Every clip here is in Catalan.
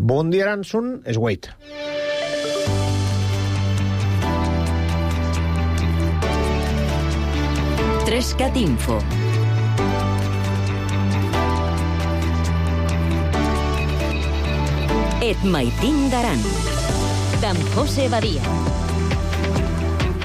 Bon dia, Aranson, és Wade. Trescat Info. Et maitin d'Aran, d'en José Badia.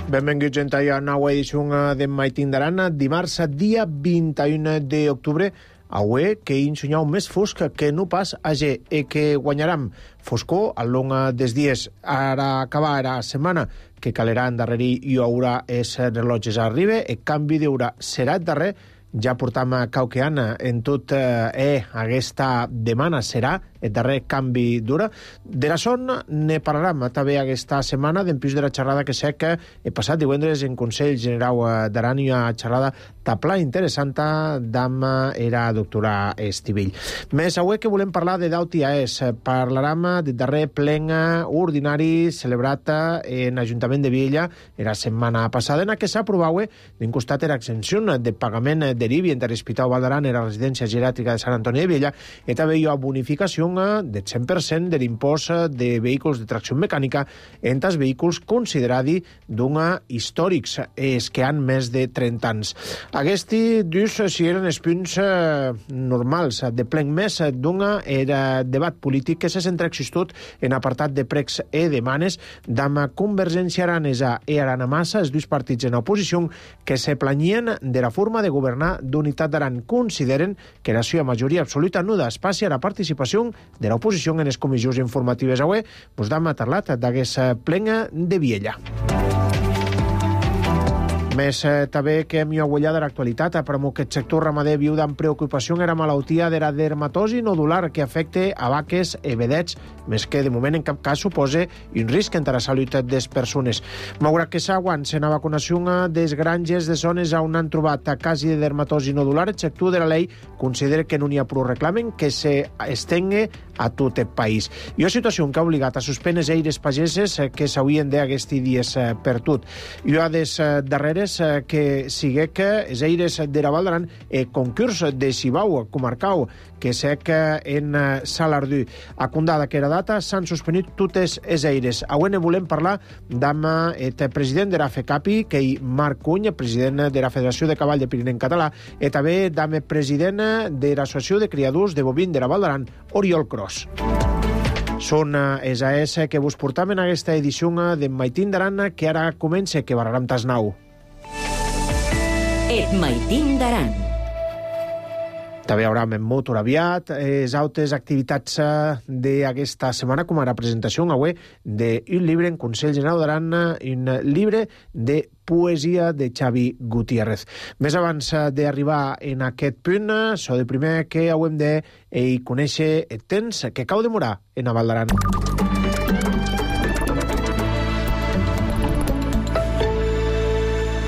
Benvinguts a la nova edició de Maitin d'Aran, dimarts, dia 21 d'octubre, avui que hi ensenyau més fosc que no pas age i que guanyaram foscor al long dels dies. Ara acabar la setmana que calerà endarrerir i haurà els relotges a arriba, el canvi d'hora serà el darrer. Ja portam cauqueant en tot aquesta demana serà el darrer canvi d'hora. De la son ne parlarem també aquesta setmana d'empís de la xerrada que sé que he passat divendres en Consell General d'Aran i una xerrada tapla interessant amb la doctora Estivill. Més avui que volem parlar de d'UTAES. Parlarem del darrer plen ordinari celebrat en l'Ajuntament de Viella la setmana passada, en què s'ha aprovat d'un costat l'exempció de pagament d'IBI entre l'Hospital Vall d'Aran i la residència geriàtrica de Sant Antoni de Viella, i també hi ha bonificació del 100% de l'impost de vehicles de tracció mecànica entre els vehicles considerats històrics, els que han més de 30 anys. Aquests dus si eren els punts normals de plen. Més era debat polític que s'ha centrat existut en apartat de pregs i demanes d'ama Convergència Aranesa i Arana Massa, els dos partits en oposició que se planyien de la forma de governar d'Unitat d'Aran. Consideren que la seva majoria absoluta no dà espai a la participació de l'oposició en les comissions informatives. Avui us hem parlat d'aquesta plena de Viella. Més també que hem aguellat de l'actualitat, per aquest sector ramader viu amb preocupació en la malaltia de la dermatosi nodular que afecta a vaques i vedets, més que de moment en cap cas suposa un risc entre la salut de les persones. Malgrat que s'aguanta en la vacunació dels granges de zones on han trobat casos de dermatosi nodular, el sector de la llei considera que no n'hi ha prou reclamen que s'estengui a tot el país. I una situació que ha obligat a suspendre les eires pageses que s'haurien d'aquests dies per tot. I una de les darreres que sigue que els eires de la Vall d'Aran concurs de Cibau comarcal que sé que en Salardú a Condada que era data s'han suspendit totes els eires. Avui ne volem parlar amb el president de la FECAPI, que és Marc Cuny, president de la Federació de Cavall de Pirineu Català, i també amb el president de l'Associació de Criadors de Bovins de la Vall d'Aran, Oriol Cros. Són els AES que vos portam en aquesta edició de Maitin d'Aran, que ara comença, que barrarem tasnau. Et maitin d'Aran. També hi haurà en motor aviat, les altres activitats d'aquesta setmana, com a la presentació avui d'un llibre en Consell General d'Aran, un llibre de poesia de Xavi Gutiérrez. Més abans d'arribar en aquest punt, so de primer que haurem de conèixer el temps que cau demorar en la Vall d'Aran.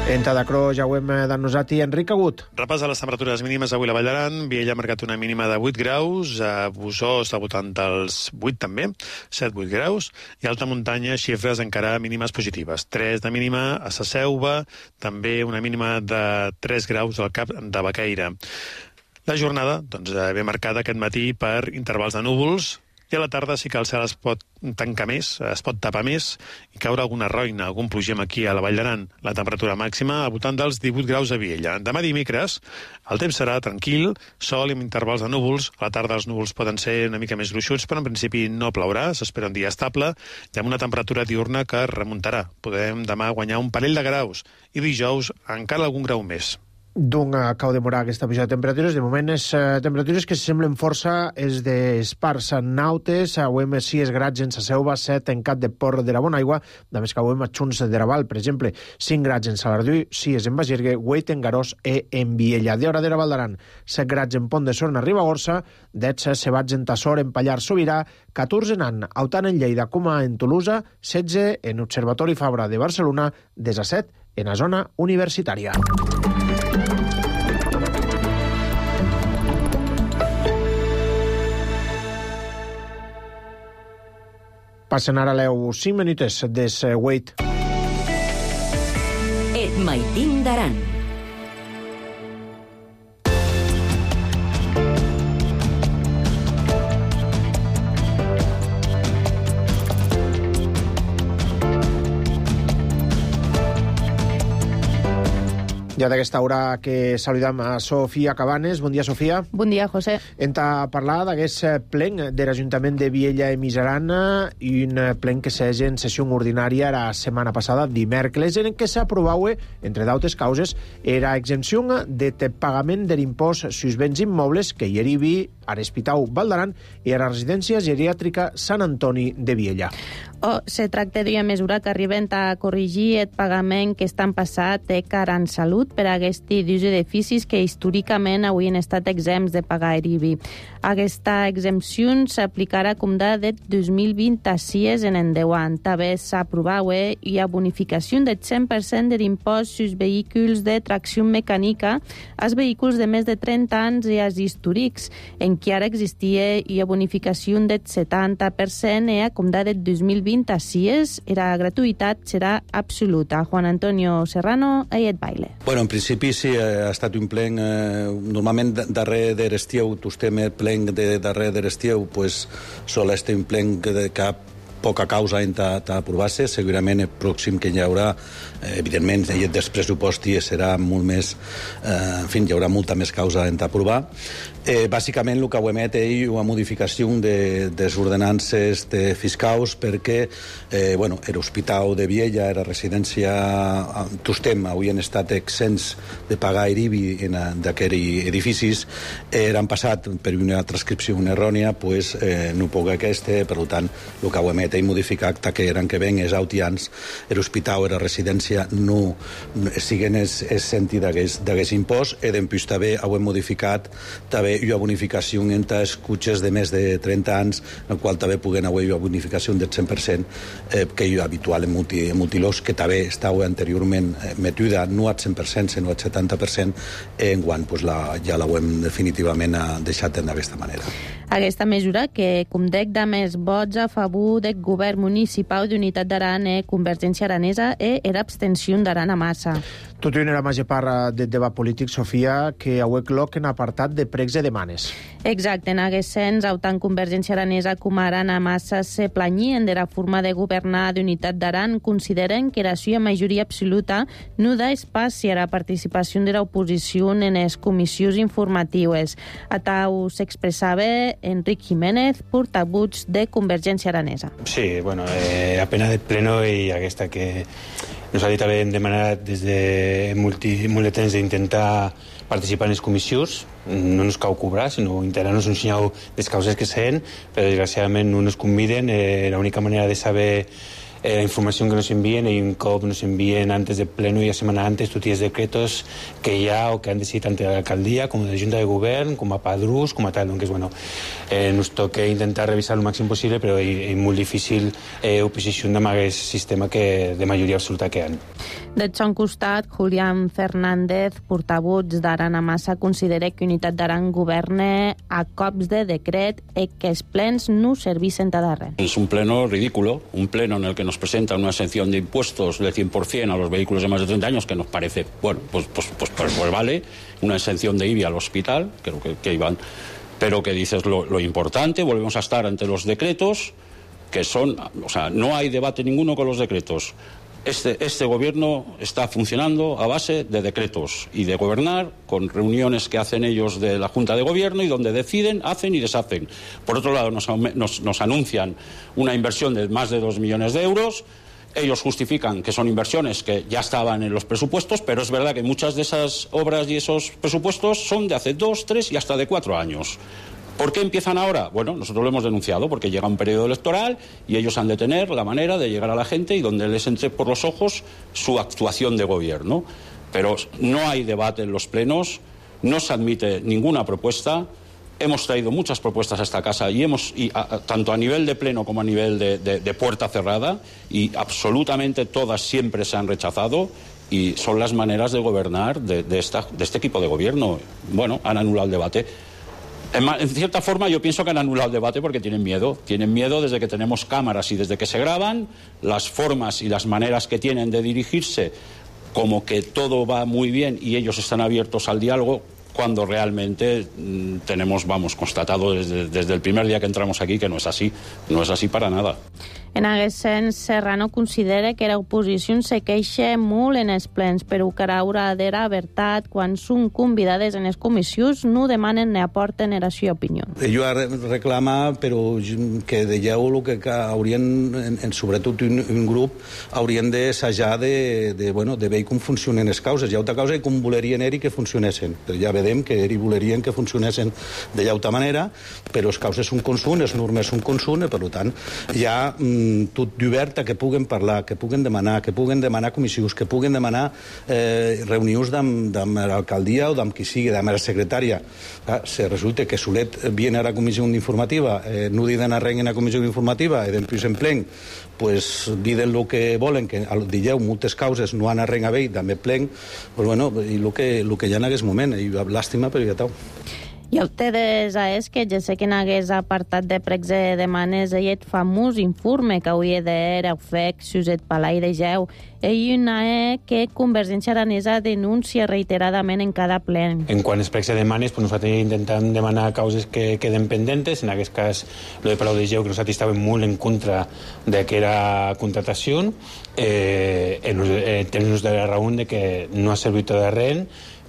En Tadacro ja ho hem d'annosat i Enric Agut. Repàs a les temperatures mínimes avui a la Vall d'Aran. Viella ha marcat una mínima de 8 graus, a Busó està votant els 8 també, 7-8 graus, i a alta muntanya xifres encara mínimes positives. 3 de mínima a Sa Selva, també una mínima de 3 graus al Cap de Baqueira. La jornada ve marcada aquest matí per intervals de núvols, i a la tarda sí que el cel es pot tancar més, es pot tapar més i caure alguna roina, algun plogem aquí a la Vall d'Aran. La temperatura màxima al voltant dels 18 graus a Viella. Demà dimecres el temps serà tranquil, sol i amb intervals de núvols. A la tarda els núvols poden ser una mica més gruixuts, però en principi no plourà, s'espera un dia estable i amb una temperatura diurna que remuntarà. Podem demà guanyar un parell de graus i dijous encara algun grau més. Cau demorar aquesta pujada de temperatures. De moment, les temperatures que semblen força és d'espars nautes. Avui 6 grads en Sa Selva, 7 en Cap de Port de la Bonaigua, de més que avui a Xuns de Raval, per exemple, 5 grads en Salardú, 6 en Bagergue, 8 en Garós i en Viella. De hora de la Vall d'Aran, 7 grads en Pont de Sorna, Ribagorça, 10 Sebats en Tassor, en Pallars Sobirà, 14 en An, tant en Lleida com en Tolosa, 16 en Observatori Fabra de Barcelona, 17 en la zona universitària. Passen ara 5 minutes des Wade. Et maitin d'Aran. Ja d'aquesta hora que saludam a Sofia Cabanes. Bon dia, Sofia. Bon dia, José. Enta parlar d'aquest plen de l'Ajuntament de Viella i Miserana, i un plen que s'és en sessió ordinària la setmana passada, dimèrcoles, en què s'aprovava, entre d'altres causes, era exempció de pagament de l'impost sus béns immobles que hi arribi a l'Hospital Vall d'Aran i a la residència geriàtrica Sant Antoni de Viella. Se tracta d'una mesura que arriben a corregir el pagament que estan passat de Caran Salut per a aquest d'ús d'edificis que històricament haurien estat exempts de pagar IBI. Aquesta exempció s'aplicarà com de 2026 en endavant. També s'aprovava una bonificació del 100% de l'impost sus vehicles de tracció mecànica als vehicles de més de 30 anys i als històrics, en què ara existia una bonificació del 70% i com de 2026 la gratuïtat serà absoluta. Juan Antonio Serrano, Aiet Baile. Bueno, en principi sí, ha estat un plen, normalment darrer de l'estiu, tostem el plen de darrer de l'estiu, pues sol estar un plen que cap poca causa en aprovar-se. Segurament el pròxim que hi haurà, evidentment, dels pressupostos serà molt més, en fi, hi haurà molta més causa en aprovar. Bàsicament el que ho emet és una modificació de les ordenances fiscals perquè l'Hospital de Viella, la residència Tostem, havien estat exempts de pagar IBI d'aquests edificis, han passat per una transcripció errònia, pues no puc aquesta, per tant el que ho emet és modificar que eren que ven els autians, l'hospital i la residència no siguen exempts d'aquest impost, i després també ho hem modificat també una bonificació entre els cotxes de més de 30 anys, en el qual també puguen haver una bonificació del 100%, que és habitual en multilocs, que també estava anteriorment metuda no al 100%, sinó al 70%, enguany ja l'hem definitivament deixat d'aquesta manera. Aquesta mesura, que com dec de més vots a favor del govern municipal d'Unitat d'Aran i Convergència Aranesa era abstenció d'Aran a massa. Tot i una major part del debat polític, Sofia, que avui cloc en apartat de pregs i demanes. Exacte, en aquest sens, tant Convergència Aranesa com Aran a massa se planyien de la forma de governar d'Unitat d'Aran, consideren que la seva majoria absoluta no da espaci a la participació de l'oposició en les comissions informatives. Atau s'expressava Enric Jiménez, portavoz de Convergència Aranesa. Sí, bueno, a pena de pleno i aquesta que nosaltres també hem demanat des de molt de temps d'intentar participar en les comissions. No ens cau cobrar, sinó integrar-nos un senyal de les causes que sent, però desgraciadament no ens conviden. L'única manera de saber la información que nos envíen, y un cop nos envíen antes del pleno y la semana antes tots els decretos que hi ha o que han decidit tant de l'alcaldia com de la Junta de Govern, com a padrús, com a tal. Donc, nos toca intentar revisar el màxim possible, però és molt difícil oposició amb aquest sistema de majoria absoluta que han. Del seu costat, Julián Fernández, portavoz d'Aran a massa, considera que Unitat d'Aran governa a cops de decret i que els plens no servissin de res. Es un pleno ridículo, un pleno en el que nos presenta una exención de impuestos del 100% a los vehículos de más de 30 años, que nos parece, bueno, pues vale, una exención de IBI al hospital, creo que iban, pero que dices lo importante, volvemos a estar ante los decretos, que son, o sea, no hay debate ninguno con los decretos. Este gobierno está funcionando a base de decretos y de gobernar con reuniones que hacen ellos de la Junta de Gobierno y donde deciden, hacen y deshacen. Por otro lado, nos anuncian una inversión de más de 2 millones de euros. Ellos justifican que son inversiones que ya estaban en los presupuestos, pero es verdad que muchas de esas obras y esos presupuestos son de hace 2, 3 y hasta de 4 años. ¿Por qué empiezan ahora? Bueno, nosotros lo hemos denunciado porque llega un periodo electoral y ellos han de tener la manera de llegar a la gente y donde les entre por los ojos su actuación de gobierno. Pero no hay debate en los plenos, no se admite ninguna propuesta. Hemos traído muchas propuestas a esta casa tanto a nivel de pleno como a nivel de puerta cerrada, y absolutamente todas siempre se han rechazado, y son las maneras de gobernar de este equipo de gobierno. Bueno, han anulado el debate. En cierta forma yo pienso que han anulado el debate porque tienen miedo desde que tenemos cámaras y desde que se graban, las formas y las maneras que tienen de dirigirse, como que todo va muy bien y ellos están abiertos al diálogo, cuando realmente tenemos, constatado desde el primer día que entramos aquí que no es así para nada. En aquest sens, Serrano considera que l'oposició se queixa molt en els plens, però que haurà d'era veritat quan són convidades en les comissions no demanen ni aporten la seva opinió. Jo reclama, però que dèieu el que haurien, sobretot un grup, haurien d'assajar de veure com funcionen les causes. Hi ha altra causa i com volerien que funcionessin. Però ja vedem que volerien que funcionessin de llauta manera, però les causes són com són, les normes són com són, per tant, hi ha tot d'obert a que puguen parlar, que puguen demanar comissions, que puguen demanar reunions amb l'alcaldia o amb qui sigui, amb la secretària. Si resulta que solet viene a la comissió informativa, no diuen res en la comissió informativa, i després en plen, pues diden el que volen, que digueu, moltes causes no han a res a veure, també plen, pues bueno, i el que hi ha en aquest moment, i làstima, però ja tau. I ustedes és que ja sé que en aquest apartat de pregs de demanes hi famós informe que hauria d'era FEC, Suset Palai de Geu. Hi una que Convergència Aranesa denuncia reiteradament en cada ple. En quant als pregs de demanes, pues nosaltres intentem demanar causes que queden pendentes. En aquest cas, lo de Palau de Geu, que nosaltres estàvem molt en contra d'aquesta contratació. Tenim de la raó de que no ha servit de res.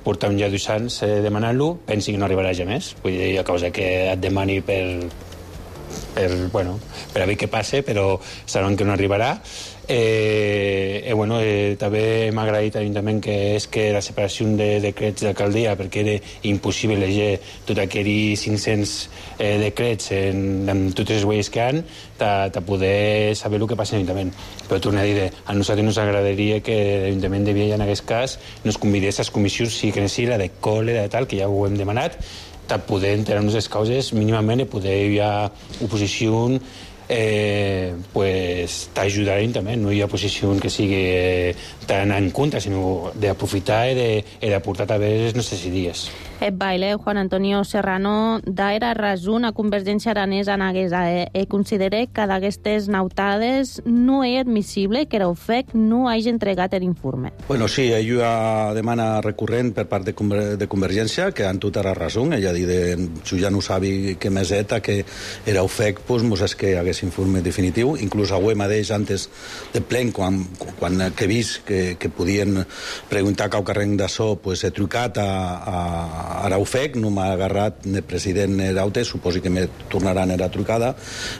Portem ja 2 anys demanant-lo, pensi que no arribarà ja més. Vull dir, a causa que et demani per a veure què passa, però saben que no arribarà. També m'ha agraït a l'Ajuntament que la separació de decrets d'alcaldia, perquè era impossible llegir tot aquells 500 decrets amb totes les huelles que han, de poder saber el que passa a l'Ajuntament. Però torno a dir, a nosaltres ens agradaria que l'Ajuntament de Viella, en aquest cas, nos convidés a les comissions, sí que necessita la de còlera i tal, que ja ho hem demanat, de poder enterar-nos les causes mínimament i poder hi ha oposició t'ajudar també. No hi ha posició que sigui tan en contra, sinó d'aprofitar i d'aportar també les necessitats. El baile Juan Antonio Serrano d'aera rason a Convergència Aranesa en Aguesa considera que d'aquestes nautades no és admissible que l'OFEC no hagi entregat l'informe. Bueno, sí, hi ha una demanda recurrent per part de Convergència, que han tota la raó. Ella dit, jo ja no sabi que més eta, que era OFEC, doncs és que hagués informe definitiu. Inclús avui mateix, antes de plen, quan he vist que podien preguntar qualque carrer d'això, he trucat a l'OFEC, no m'ha agarrat el president d'Aute, suposo que me tornaran a la trucada,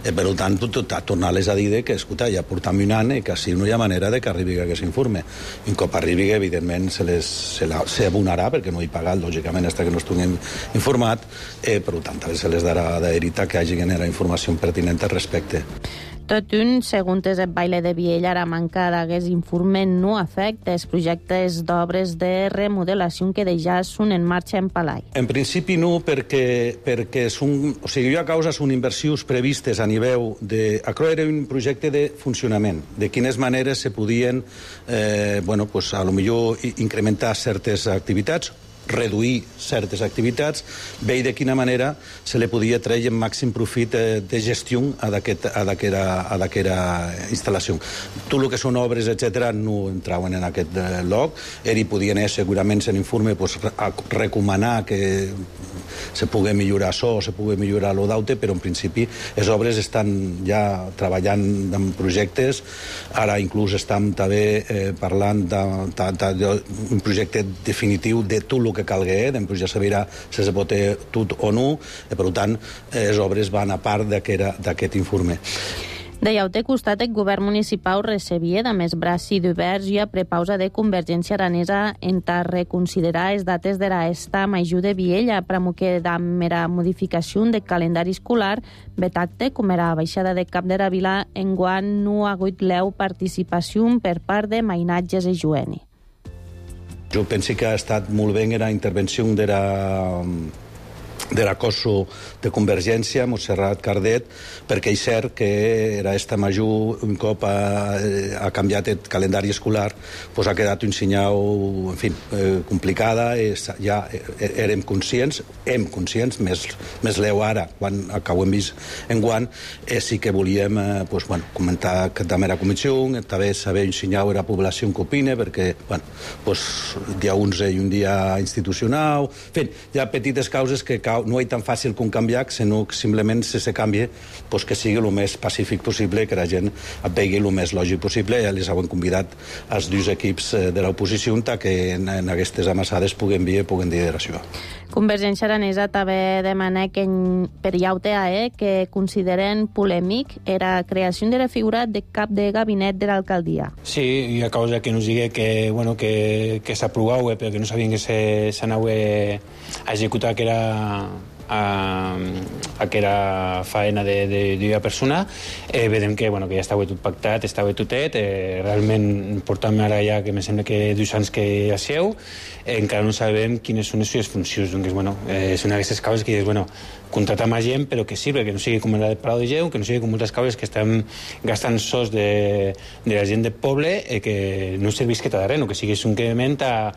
per tant, tornar-les a dir que, escolta, ja portam un any i que així no hi ha manera de que arribi aquest informe. Un cop arribi, evidentment, s'abonarà, perquè no hi pagat, lògicament, fins que no estiguem informat, per tant, també se les darà d'herita que hagi la informació pertinent al respecte. Tot un, segons el baile de Viella, la manca d'aquest informe no afecta els projectes d'obres de remodelació que ja són en marxa en Palai. En principi no, perquè són, hi ha causes, són inversions previstes a nivell de... Això era un projecte de funcionament, de quines maneres se podien, a lo millor incrementar certes activitats, reduir certes activitats, veure de quina manera se li podia treure el màxim profit de gestió a d'aquesta instal·lació. Tot el que són obres, etc., no entraven en aquest lloc. Hi podien segurament en l'informe recomanar que se pugui millorar això, se pugui millorar lo d'Aute, però en principi les obres estan ja treballant en projectes. Ara inclús estem també parlant d'un projecte definitiu de tot el que calgui, després ja se veurà si se pot tot o no, per tant, les obres van a part d'aquest informe. De llaute costat, el govern municipal recebia de més braços oberts i a prepausa de Convergència Aranesa en reconsiderar les dates de l'esta major de Viella, pramo que amb la modificació del calendari escolar, betacte, com era baixada de cap de la vila, enguany no ha hagut l'eu participació per part de mainatges i jueni. Jo penso que ha estat molt bé la intervenció de de la COSO de Convergència, Montserrat Cardet, perquè és cert que era esta major, un cop ha canviat el calendari escolar, pues ha quedat un senyal, en fi, complicada. Ja érem conscients, més leu ara, quan ho hem vist en guant, sí que volíem comentar que també era comissió, també saber ensenyar a la població que opina, perquè dia 11 i un dia institucional, en fi, hi ha petites causes que no és tan fàcil com canviar, sinó que simplement si se canvia, que sigui el més pacífic possible, que la gent et vegi el més lògic possible. Ja els han convidat els dos equips de l'oposició que en aquestes amassades puguen dir això. Convergència Aranesa també demana que per IAUTAE que consideren polèmic la creació de la figura de cap de gabinet de l'alcaldia. Sí, hi ha causa que nos digui que s'aprovava, però que no sabien que s'anava a executar, que era faena d'una persona. Vedem que ja estava tot pactat, estava totet. Realment portem ara ja, que me sembla que 2 anys que ja seu, encara no sabem quines són les seves funcions. Doncs, són aquestes causes que dius, contratar més gent, però que sirve, que no sigui com la de Palau de Geu, que no sigui com moltes causes que estan gastant sos de la gent del poble, que no serveix que t'adarren, o que siguis un increment a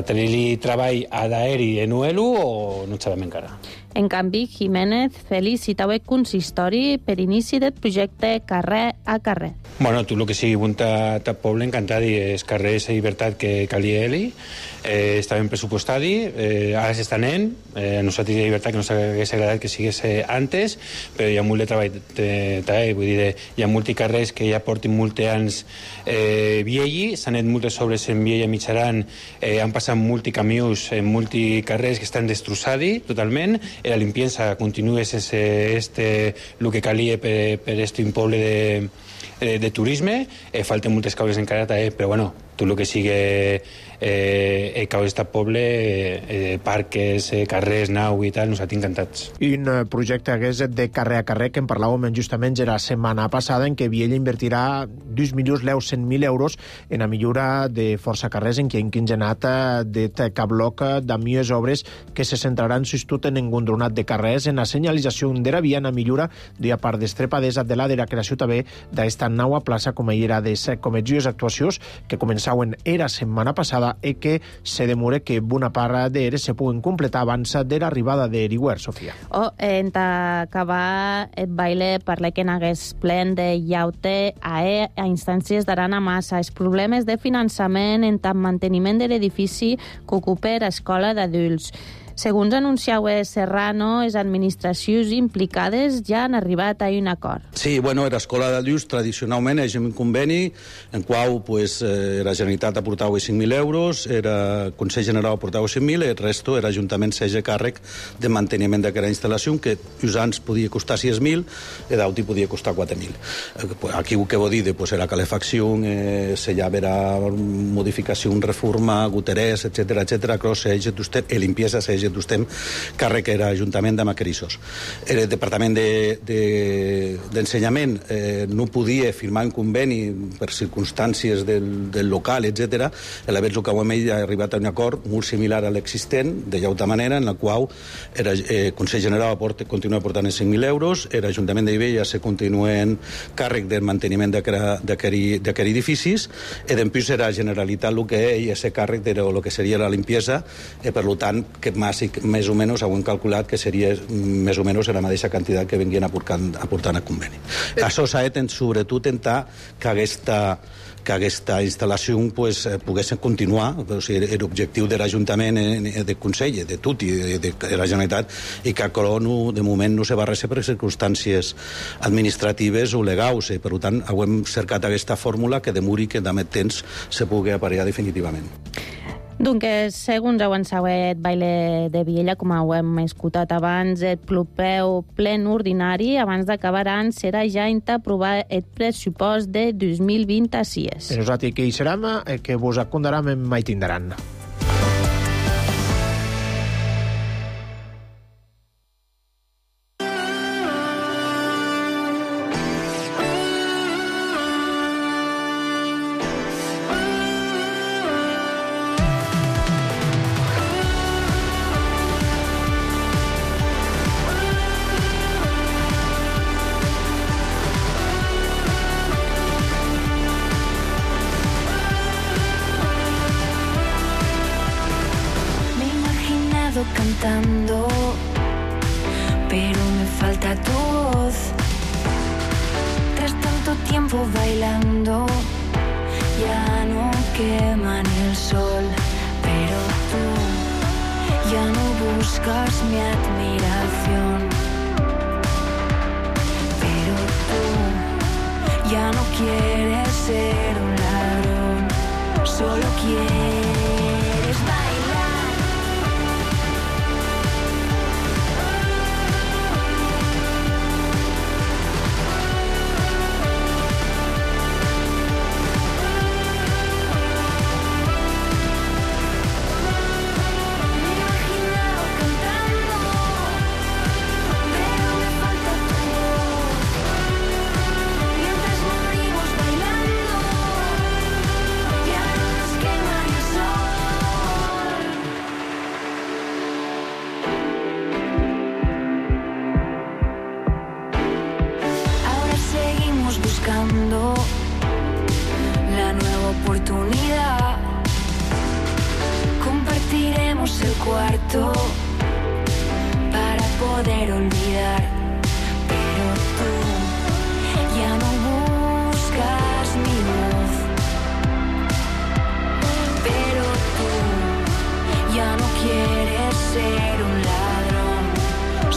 tenir-li treball a d'aeri en UELU o no sabem encara. En canvi, Jiménez felicitava el consistori per inici del projecte carrer a carrer. Tu el que sigui bon a poble, encantat, i els carrers de llibertat que calia ell, estaven pressupostadi, ara s'estan anant, a nosaltres de llibertat que no s'hagués agradat que sigués antes, però hi ha molt de treball, vull dir, hi ha molts carrers que ja porten molts anys vielli, s'han anat moltes obres en Viella Mitjaran, han passat molts camions en molts carrers que estan destrossats totalment, la limpieza continua sense el que calia per un poble de turisme, falten moltes causes encara, però tot el que sigui causes de poble, parques, carrers, nau i tal, nosaltres encantats. I un projecte hagués de carrer a carrer que en parlàvem justament la setmana passada, en què Viella invertirà 2.100.000 euros en la millora de força carrers en què han quinzenat de cabloc d'amies obres que se centraran tot en engondronat de carrers, en la senyalització de la via, en la millora d'una part d'estrepadesa de la creació també d'esta nova plaça com era de cometgies actuacions que començaven era setmana passada i que se demora que bona part d'eres se puguen completar abans de l'arribada de Eriware, Sofia. En acabar el baile parla que n'hagués plen de IAUTAE a instàncies d'Arana Massa. Els problemes de finançament en tant manteniment de l'edifici que ocupa l'escola d'adults. Segons anunciava Serrano, les administracions implicades ja han arribat a un acord. Sí, l'escola d'adults tradicionalment és un conveni en qual la Generalitat aportava 5.000 euros, el Consell General aportava 5.000 i el resto era l'Ajuntament s'haja càrrec de manteniment d'aquesta instal·lació, que uns anys podia costar 6.000 i d'altres podia costar 4.000. Aquí el que vol dir la calefacció, se llava la modificació, reforma, goterers, etc. Cross, i limpiesa, d'ustem càrrec era l'Ajuntament de Macarissos. El Departament d'Ensenyament no podia firmar un conveni per circumstàncies del local, etc. El que hem arribat a un acord molt similar a l'existent, de llauta manera, en la qual el Consell General continua aportant 5.000 euros, l'Ajuntament d'Ibella se continua en càrrec del manteniment d'aquests edificis, i després era la Generalitat el que és càrrec de lo que seria la limpiesa, i per tant que més o menys ho hem calculat que seria més o menys la mateixa quantitat que venien aportant a conveni. Això s'ha de sobretot intentar que aquesta instal·lació pogués continuar, l'objectiu de l'Ajuntament, del Consell, de tot i de la Generalitat, i que de moment no se va res per circumstàncies administratives o legals, i per tant hem cercat aquesta fórmula que demori que amb el temps se pugui aparellar definitivament. Doncs, segons avançava el baile de Viella, com ho hem escoltat abans, el propeu plen ordinari, abans d'acabar l'any, serà ja aprovar el pressupost de 2026. Nosaltres que hi serem, que vos acondarem en mai tindran. pero me falta tu voz. Tras tanto tiempo bailando, ya no quema ni el sol, pero tú ya no buscas mi admiración, pero tú ya no quieres ser un ladrón, solo quieres bailar. La nueva oportunidad, compartiremos el cuarto para poder olvidar, pero tú ya no buscas mi voz, pero tú ya no quieres ser un ladrón,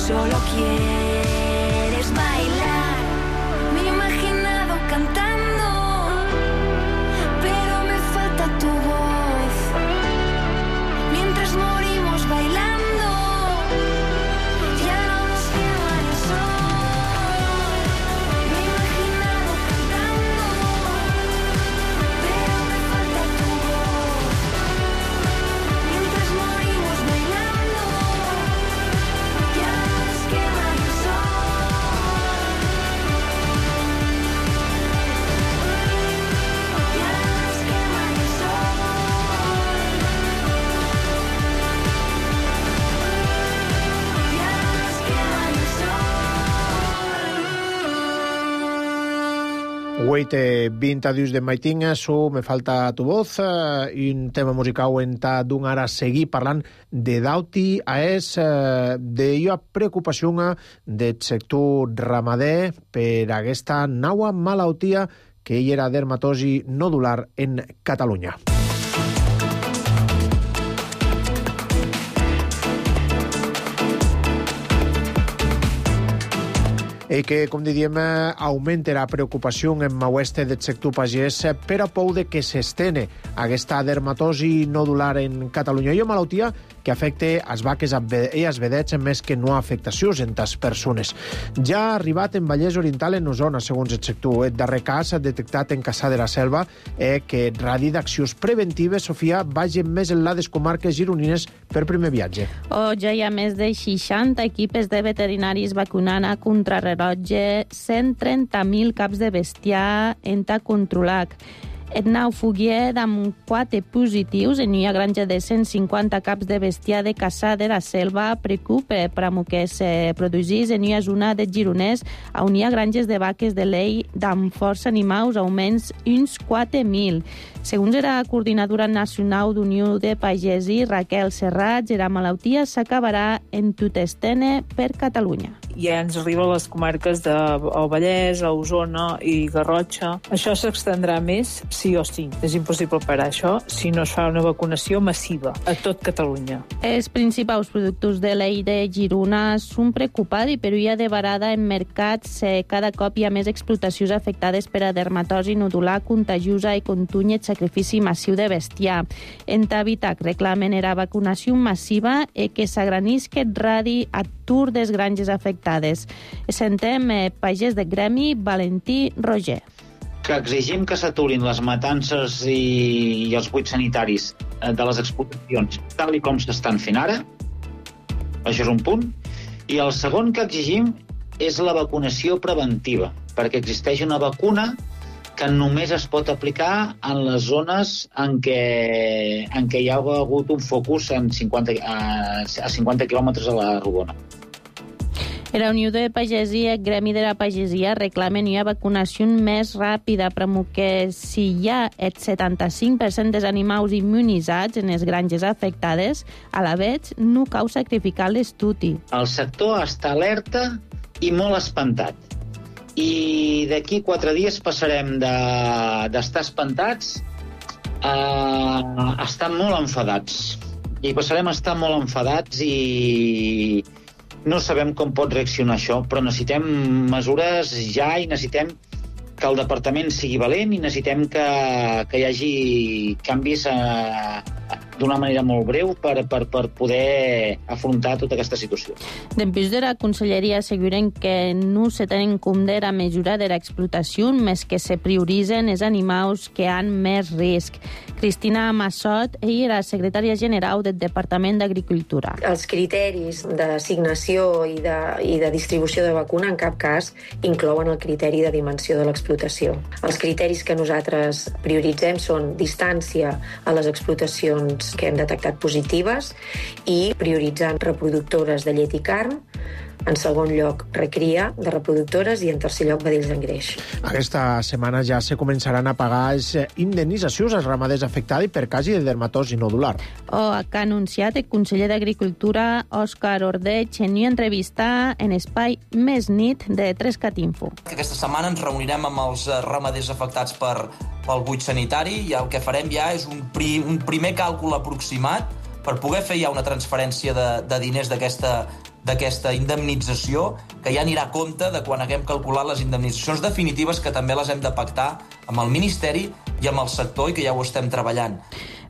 solo quieres bailar. Cantando, pero me falta tu voz. Mientras morimos bailando, ya no nos quema el sol. Me he imaginado cantando, pero me falta tu voz. Mientras morimos bailando, ya no nos quema el sol. Wait, 20 dius de maitinga, me falta tu voz, un tema musical en ta d'un ara seguir parlant de dauti de ua preocupació del sector ramader per aquesta nova malaltia que hi era dermatosi nodular en Catalunya. I que, com diem, augmenta la preocupació en maueste del sector pagès per a pou de que s'estene aquesta dermatosi nodular en Catalunya. Hi ha malaltia que afecta les vaques i els vedets més que no afectacions en les persones. Ja ha arribat en Vallès Oriental en Osona, segons el sector. El darrer cas detectat en Cassà de la Selva que radi d'accions preventives, Sofia, vagin més en les comarques gironines per primer viatge. Ja hi ha més de 60 equipes de veterinaris vacunant a contrarrellotge 130.000 caps de bestiar en ta controlat. Et nau Foguier amb 4 positius en una granja de 150 caps de bestiar de Cassà de la Selva preocupa per a que se produís en una zona de Gironès on hi ha granges de vaques de lei d'amb força animals, augments uns 4.000. Segons la coordinadora nacional d'Unió de Pagesi, Raquel Serrat, la malaltia s'acabarà en tot estene per Catalunya. Ja ens arriba a les comarques del Vallès, a Osona i Garrotxa. Això s'extendrà més, sí o sí. És impossible parar això si no es fa una vacunació massiva a tot Catalunya. Els principals productors de lei de Girona són preocupats, però hi ha de varada en mercats cada cop hi ha més explotacions afectades per a dermatosi nodular contagiosa i contuny el sacrifici massiu de bestiar. En Tabitac reclamen la vacunació massiva i que s'agranisca el radi a tur des granges afectades. Sentem pagès de gremi Valentí Roger. Que exigim que s'aturin les matances i els buits sanitaris de les explotacions tal i com s'estan fent ara. Això és un punt. I el segon que exigim és la vacunació preventiva, perquè existeix una vacuna que només es pot aplicar en les zones en què hi ha hagut un focus a 50 quilòmetres a la rodona. La Unió de Pagesia, el Gremi de la Pagesia, reclamen una vacunació més ràpida, però que si hi ha el 75% dels animals immunitzats en les granges afectades, a la vegada no cal sacrificar l'estudi. El sector està alerta i molt espantat. I d'aquí 4 dies passarem d'estar espantats a estar molt enfadats. I passarem a estar molt enfadats i no sabem com pot reaccionar això, però necessitem mesures ja i necessitem que el departament sigui valent i necessitem que hi hagi canvis d'una manera molt breu per poder afrontar tota aquesta situació. Dempús de la Conselleria asseguren que no se tenen en compte la mesura de l'explotació, més que se prioritzen els animals que han més risc. Cristina Massot, ella era secretària general del Departament d'Agricultura. Els criteris d'assignació i de distribució de vacuna en cap cas inclouen el criteri de dimensió de l'explotació. Els criteris que nosaltres prioritzem són distància a les explotacions que hem detectat positives i prioritzant reproductores de llet i carn, en segon lloc recria de reproductores i en tercer lloc vedells d'engreix. Aquesta setmana ja se començaran a pagar les indemnitzacions als ramaders afectats per casi de dermatosi nodular. Que ha anunciat el conseller d'Agricultura, Òscar Ordeig, en una entrevista en espai Més Nit de 3CatInfo. Aquesta setmana ens reunirem amb els ramaders afectats pel buit sanitari i el que farem ja és un primer càlcul aproximat per poder fer ja una transferència de diners d'aquesta indemnització, que ja anirà a compte de quan haguem calculat les indemnitzacions definitives, que també les hem de pactar amb el Ministeri i amb el sector i que ja ho estem treballant.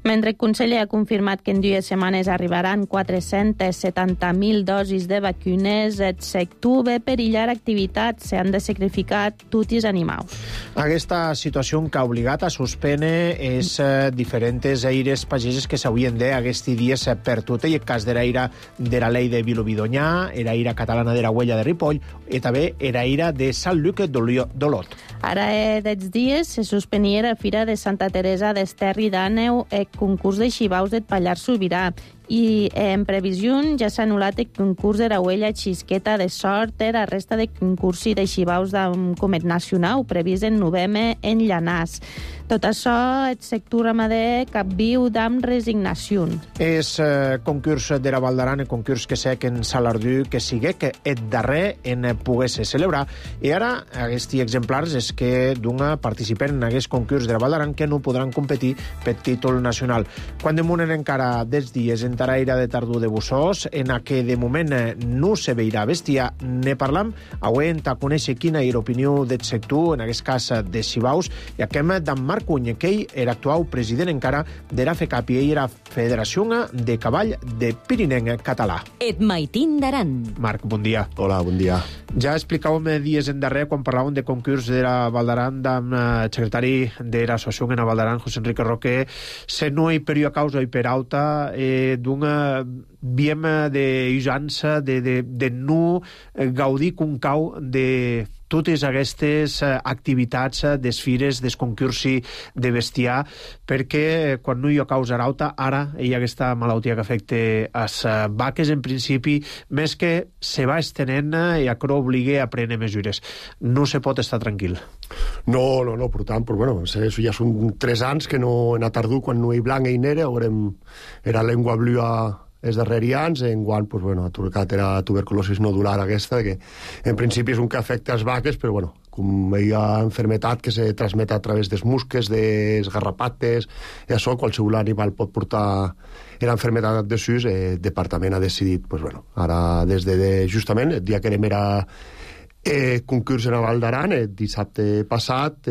Mentre el conseller ha confirmat que en 2 setmanes arribaran 470.000 dosis de vacunes, el sector ve perillar activitats, s'han de sacrificar tots els animals. Aquesta situació que ha obligat a suspendre és diferents eires pageses que s'haurien d'aquests dies per tot. I el cas de l'aire de la Llei de Vilobí-d'Onyar, era ira catalana de la Huella de Ripoll i també era ira de Sant Lluc d'Olot. Ara, d'aquests dies, se suspenia la Fira de Santa Teresa d'Esterri d'Àneu, el concurs de xivaus del Pallars Sobirà. I en previsió ja s'ha anul·lat el concurs de la Huella Xisqueta de Sort, la resta de concursos de xivaus d'un comet nacional previst en novembre en Llanàs. Tot això, el sector ramader capviu amb resignació. És concurs de la Val d'Aran, el concurs que sé que en Salardú que sigue, que el darrer en pogués celebrar. I ara, aquests exemplars és que d'un participen en aquest concurs de la Val d'Aran que no podran competir per títol nacional. Quan demunen encara dels dies en taraira de tardor de Bussós, en què de moment no se veirà bestiar, ne parlam, avui hem de conèixer quina és l'opinió del sector, en aquest cas de xivaus, i aquem d'en Marc Cuny, que ell era actual president encara de la FECAP i ell era Federació de Cavall de Pirinenc Català. Et maitin d'Aran. Marc, bon dia. Hola, bon dia. Ja explicàvem dies endarrer quan parlàvem de concurs de la Val d'Aran amb el secretari de l'associació en la Val d'Aran, José Enrique Roque, se no hi per una causa i per alta d'una viem d'usança de no gaudir com cau de totes aquestes activitats des fires, des concursi de bestiar, perquè quan no hi ha causa rauta, ara hi ha aquesta malaltia que afecta les vaques, en principi, més que se va estenent i això obliga a prendre mesures. No se pot estar tranquil. No, per tant, bueno, ja són 3 anys que no en a tardor, quan no hi blanc i nera, era lengua blua els darrers anys, enguany, ha trucat la tuberculosi nodular aquesta, que en principi és un que afecta les vaques, però com hi ha enfermetat que se transmet a través dels musques, dels garrapates, i això qualsevol animal pot portar l'enfermetat de sus, el departament ha decidit, ara des de justament el dia que era concurs en la Val d'Aran, el dissabte passat,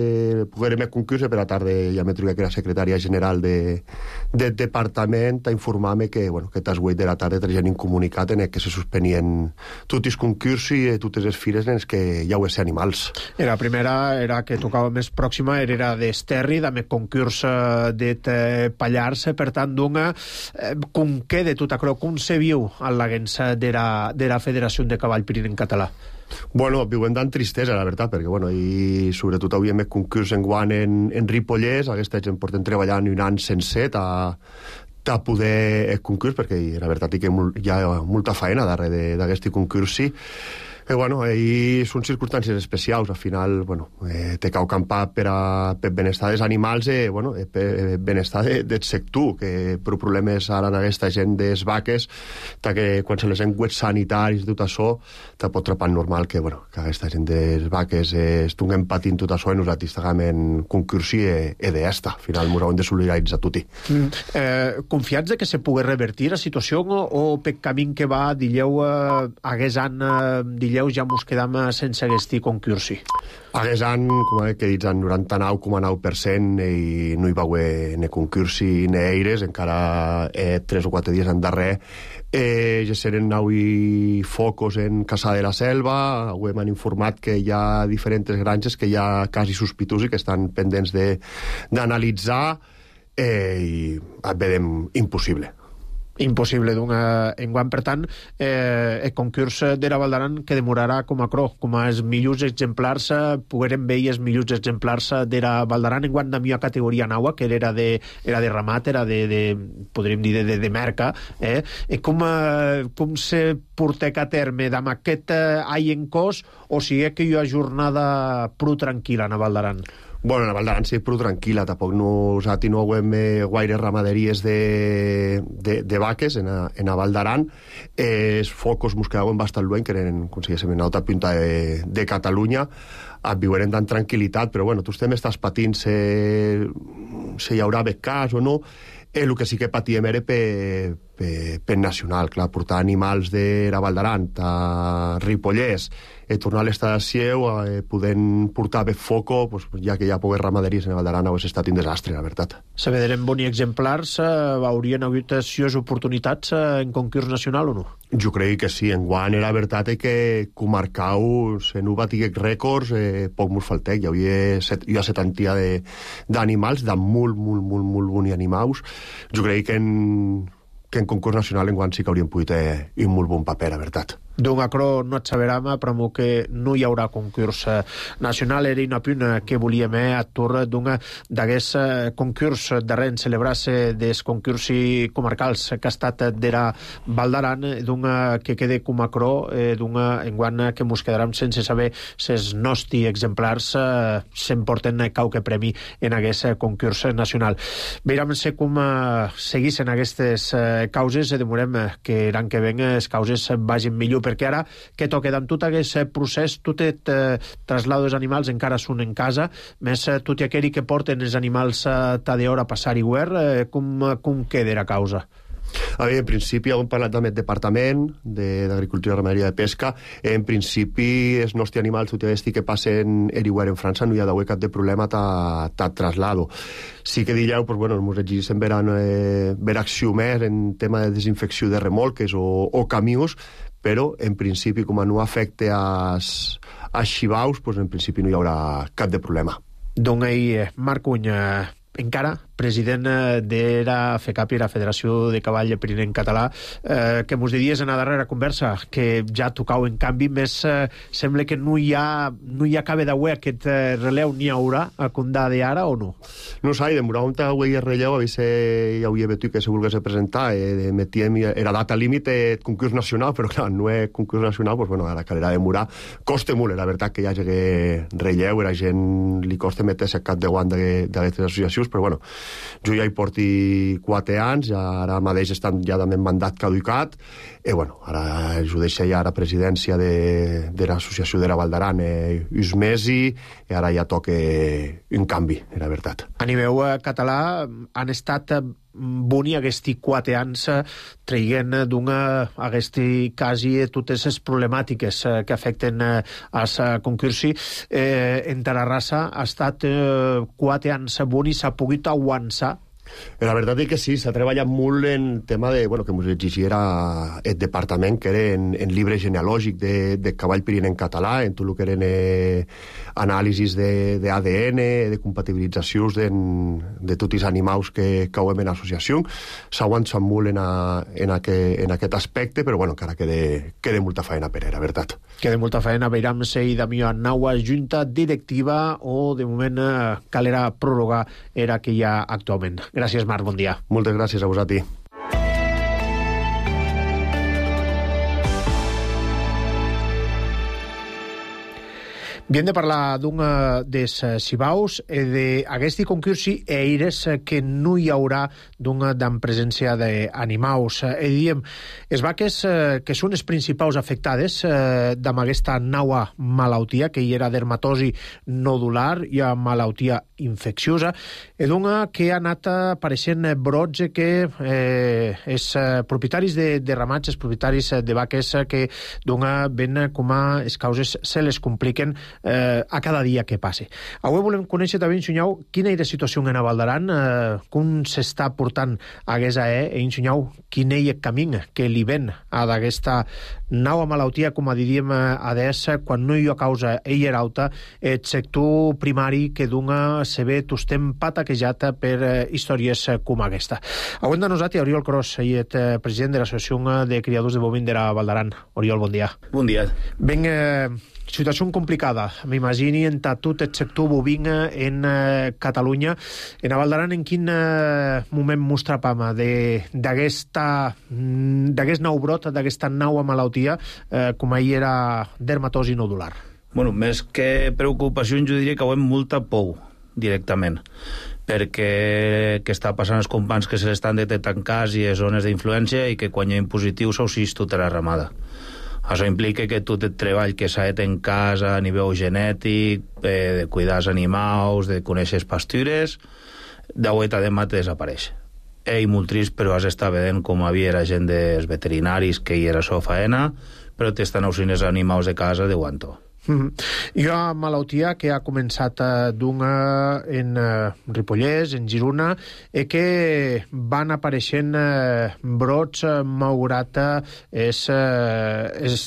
poguérem el concurs, per la tarda ja m'he trobat que era secretària general del departament a informar-me que aquestes 8 de la tarda tenien un comunicat en el que se suspenien tots els concursos i totes les fires en els que hi hauria animals. La primera era que tocava més pròxima, era d'Esterri, amb el concurs de Pallars, per tant, com queda tot això, com se viu a l'agència de la Federació de Cavall Pirinenc Català? Viuen d'en tristesa, la veritat, perquè, i sobretot avui hem concurs enguany en Ripollès, aquesta gent porten treballant un any sencer a poder el concurs, perquè la veritat és que hi ha molta feina darrere d'aquest concurs, Bueno, ahí són circumstàncies especials. Al final, bueno, té cau campar per benestar dels animals, per benestar del sector, que per problemes ara en aquesta gent des vaques, que quan se les enguets sanitaris, tot això, te pot trapar normal que aquesta gent des vaques estiguem patint tot això i nosaltres estiguem en concursi d'esta. Al final, ens haurem de solidaritzar tutti. Confiats que se pugui revertir la situació o per camí que va, dileu, hagués an, ja mos quedam sense aquest concursi? Hagués an, com que dits, en 99,9% i no hi va haver ni concursi ni eires, encara 3 o 4 dies en darrer ja seren avui focos en Caçà de la Selva. Avui m'han informat que hi ha diferents granges que hi ha quasi sospitosos i que estan pendents d'analitzar i vedem impossible. Impossible enguany. Per tant, el concurs de la Val d'Aran que demorarà com a els millors exemplars, poguerem veure els millors exemplars de la Val d'Aran enguany de millor categoria naua, que era de ramat, era podríem dir, de merca. Com se portec a terme amb aquest any en cos, o sigui que hi ha jornada prou tranquil·la a la Val d'Aran? Bueno, la Val d'Aran sí, prou tranquil·la. Tampoc nosaltres no hem guaire ramaderies de vaques en la Val d'Aran. Els focos mos quedaven bastant lluny, que eren, com si diguéssim, en l'altra punta de Catalunya. Viurem amb tranquil·litat, però bueno, tu estàs patint si hi haurà becàs o no. El que sí que patíem era per nacional, clar, portar animals de la Val d'Aran a Ripollès, tornar a l'estat de Sieu, podent portar bé foco, ja que hi ha poques ramaderies en la Val d'Aran, hauria estat un desastre, la veritat. Se vedrem bons exemplars, haurien hagut oportunitats en concurs nacional o no? Jo crec que sí, enguany la veritat és que comarcau, se no batiguec rècords, poc mos faltec, hi ha 70 d'animals, de molt bons animals. Jo crec que en concurs nacional enguany sí que hauríem pogut un molt bon paper, la veritat. D'un acro no et saberam, però que no hi haurà concurs nacional. Era una puna que volíem a torre d'aquest concurs darrer en celebrar-se des concursi comarcals que ha estat de la Val d'Aran, que quede com acro, enguany que mos quedaram sense saber si els nostres exemplars s'emporten qualque premi en aquest concurs nacional. Veurem com seguissin aquestes causes, demorem que l'any que ven les causes vagin millor, perquè ara que toca amb tot aquest procés, tot el traslado dels animals encara són en casa, més tot aquell que porten els animals d'hora a passar i guer, com queda la causa? En principi, hem parlat amb el Departament d'Agricultura, Ramaderia i Pesca. En principi, els nostres animals, tot i que passen en França, no hi ha d'haver cap de problema de traslado. Sí que dileu, ens exigeixen ver acció més en tema de desinfecció de remolques o camions, però en principi, com no afecta als xivaus, en principi no hi haurà cap de problema. Doncs ahir, Marc Cuny, encara president de la FECAP i la Federació de Cavall Pirinenc Català, que mos diries en la darrera conversa que ja tocau en canvi, més sembla que no hi acabe d'avui aquest releu, n'hi haurà a condà d'ara o no? No sé, demorar un avui el relleu, a veure hi hauria vetu que se volgués presentar, metíem, era data límit concurs nacional, però clar, no és concurs nacional, ara calera demorar. Costa molt, la veritat, que hi hagi relleu, la gent li costa metre-se cap de guant d'aquestes associacions, però bueno, jo ja hi porti 4 anys, ara mateix estan ja també en mandat caducat, i bueno, ara jo deixa ja la presidència de l'associació de la Val d'Aran uns mesos, i ara ja toca un canvi, la veritat. A nivell català han estat boni aquests 4 anys traient aquests quasi totes les problemàtiques que afecten als concursi. En Tarrasa ha estat 4 anys boni, s'ha pogut aguantar. La veritat és que sí, s'ha treballat molt en tema de, que ens exigiera el departament, que era en llibre genealògic de cavall pirinenc català, en tot el que eren anàlisis d'ADN, de compatibilitzacions de tots els animals que cauen en l'associació. S'ha aguantat molt en aquest aspecte, però encara queda molta feina per la veritat. Queda molta feina, veurem si Damià Naua junta directiva o de moment calera prorrogar era que hi ha actualment. Gràcies, Marc, bon dia. Moltes gràcies a vosaltres. Bien de parlar d'un des Sibaus e d'aguesti concursi eires que no hi haurà d'en presència d'animaus. Diem, es vaques que són les principals afectades amb aquesta nova malaltia, que hi era dermatosi nodular i a malaltia infecciosa, i que ha anat apareixent brots que els propietaris de ramats, els propietaris de vaques que ven com a les causes se les compliquen a cada dia que passe. Avui volem conèixer també, Insunyau, quina és la situació en Val d'Aran, com s'està portant aquesta Insunyau, quin és el camí que li ven a d'aquesta nova malaltia, com diríem adés, quan no hi ha causa ella alta, el sector primari que dona se ve tostem pataquejat per històries com aquesta. Avui de nosaltres, Oriol Cros, president de l'Associació de Criadors de Bovins de Val d'Aran. Oriol, bon dia. Bon dia. Ben, situació complicada, m'imagini, en tot el sector bovin en Catalunya. En Val d'Aran, en quin moment mos trapam d'aquest nou brot, d'aquesta nova malaltia, com ahir era dermatosi nodular? Bueno, més que preocupació, jo diria que ho hem molta por, directament, perquè que està passant als companys que se l'estan detectant cas i zones d'influència i que quan hi ha positius s'ausís tota la ramada. Això implica que tot el treball que s'ha fet en casa a nivell genètic, de cuidar els animals, de conèixer les pastures, d'aueta de mat desapareix. I molt trist, però has estat veient com havia la gent dels veterinaris que hi era la faena, però t'estan ausint els animals de casa de guanto. Hi ha malaltia que ha començat en Ripollès, en Girona, i que van apareixent brots malgrat els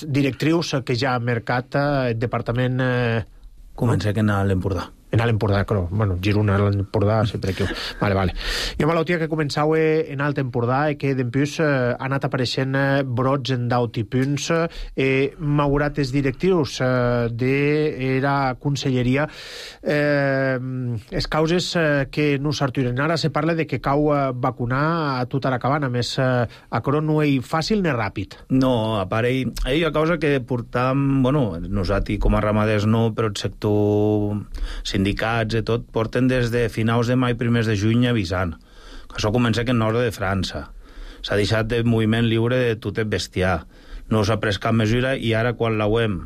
directrius que ja ha marcat el departament... Comença que anar a l'Empordà. En l'Empordà, però, bueno, Girona, l'Empordà, sempre que... Vale. Hi ha malaltia que començava en Alt Empordà i que, d'empús, ha anat apareixent brots en d'alti punts, malgrat els directius de la conselleria. Les causes que no s'arturen. Ara se parla de que cau vacunar a tota la cabana, més acro no és fàcil ni ràpid. No, a part, hi ha causa que portam, bueno, nosaltres com a ramaders no, però el sector sindicats i tot, porten des de finals de maig, primers de juny avisant. Això comença que en nord de França. S'ha deixat de moviment lliure de tot el bestiar. No s'ha pres cap mesura i ara quan la UEM,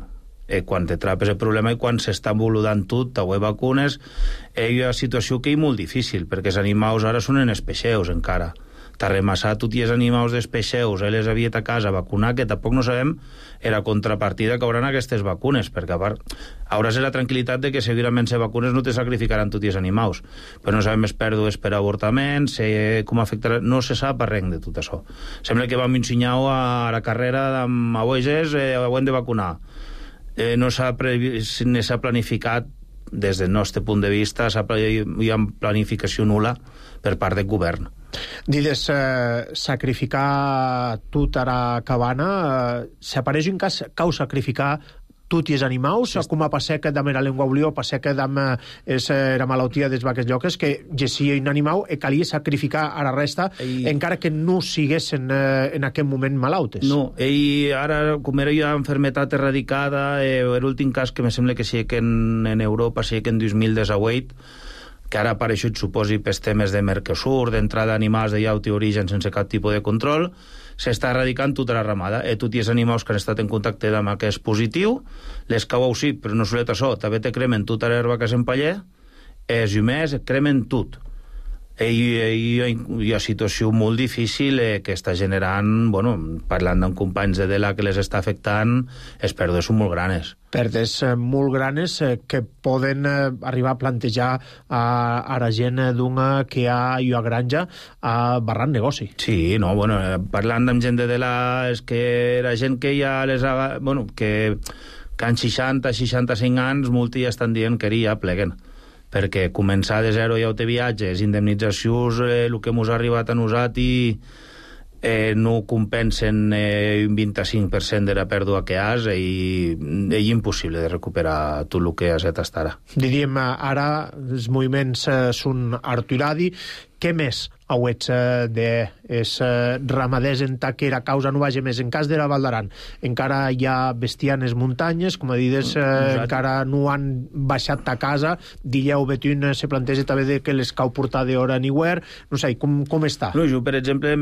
quan te trapes el problema i quan s'està voludant tot, a vacunes, hi ha una situació que és molt difícil, perquè els animals ara són en espeixeus encara. T'ha remassat tots els animals d'espeixeus, les havia a casa a vacunar, que tampoc no sabem la contrapartida que hauran aquestes vacunes, perquè a part hauràs la tranquil·litat de que segurament les vacunes no te sacrificaran tots els animals, però no sabem les pèrdues per avortament, com afectarà, no se sap res de tot això. Sembla que vam ensenyar a la carrera amb abueges, ho hem de vacunar. No s'ha planificat, des del nostre punt de vista, hi ha planificació nul·la per part del govern. Dides, sacrificar tota la cabana, s'apareix un cas cau sacrificar tots els animals, com a passar que dame la llengua oblió, passar que dame la malaltia des vaques lloques, que gessia un animal i calia sacrificar a la resta, encara que no siguessin en aquest moment malautes. No, ara, com era ja enfermetat erradicada, l'últim cas que me sembla que sí que en Europa, sí que en 2018, que ara ha apareixut, suposi, pels temes de Mercosur, d'entrada d'animals de llaut i origen sense cap tipus de control, s'està erradicant tota la ramada. Tots els animals que han estat en contacte amb aquest positiu, les cau sí, però no solet això, també te cremen tota l'herba que s'empaller, els humers cremen tot. Hi ha una situació molt difícil que està generant, bueno, parlant amb companys de DELA que les està afectant, les pèrdues són molt granes. Pèrdues molt granes que poden arribar a plantejar a la gent que hi ha granja a barrar negoci. Sí, no, bueno, parlant amb gent de DELA és que la gent que ja les ha... Bueno, que han 60-65 anys, molts ja estan dient que ja pleguen, perquè començar de zero ja ho té viatges, indemnitzacions, el que ens ha arribat a nosaltres no compensen un 25% de la pèrdua que has i és impossible de recuperar tot el que has fet fins ara. Diríem, ara els moviments són arturadi. Què més auets ramaders en ta que era causa no vagi més. En cas de la Val d'Aran encara hi ha bestiar en les muntanyes, com a dides, encara no han baixat ta casa, Dilleu Betún se planteja també de que les cau portar d'hora ni guer, no sé, com està? No, jo, per exemple,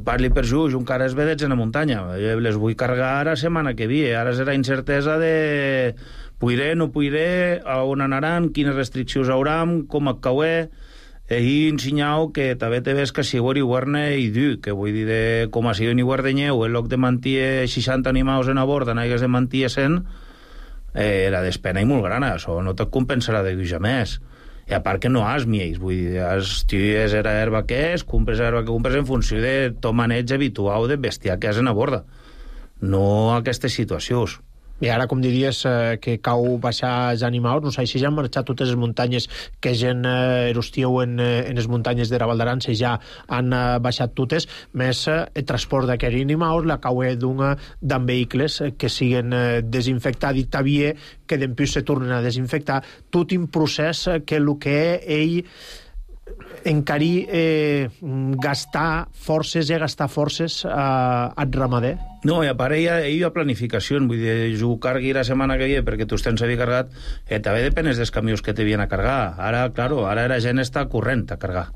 parli per jo encara es vedets en la muntanya, les vull cargar ara setmana que ve, ara serà incertesa de puiré, no puiré, a on anaran, quines restriccions hauran, com a cauer, i ensenyau que també te ves que si ho guarne i du, que vull dir de, com a si ni guardenyeu, en lloc de mantir 60 animals en a borda, n'hagués de mantir 100, la despena i molt gran, això no te compensarà de lluja més. I a part que no has mies, vull dir, tiues era herba que és, compres herba que compres en funció de tot maneig habitual de bestiar que has en a borda, no aquestes situacions. I ara, com diries, que cau baixar els animals, no sé si ja han marxat totes les muntanyes que gent erostieu en les muntanyes de la Val d'Aran, si ja han baixat totes, més el transport d'aquests animals, la cauer d'en vehicles que siguen desinfectats i també que d'empús se tornen a desinfectar, tot un procés que el que ell encarir gastar forces al ramader. No, i a part hi ha planificació, vull dir, jo ho cargui la setmana que ve perquè tu tens havia cargat, també depenes dels camions que te havien a cargar. Ara, claro, ara la gent està corrent a cargar.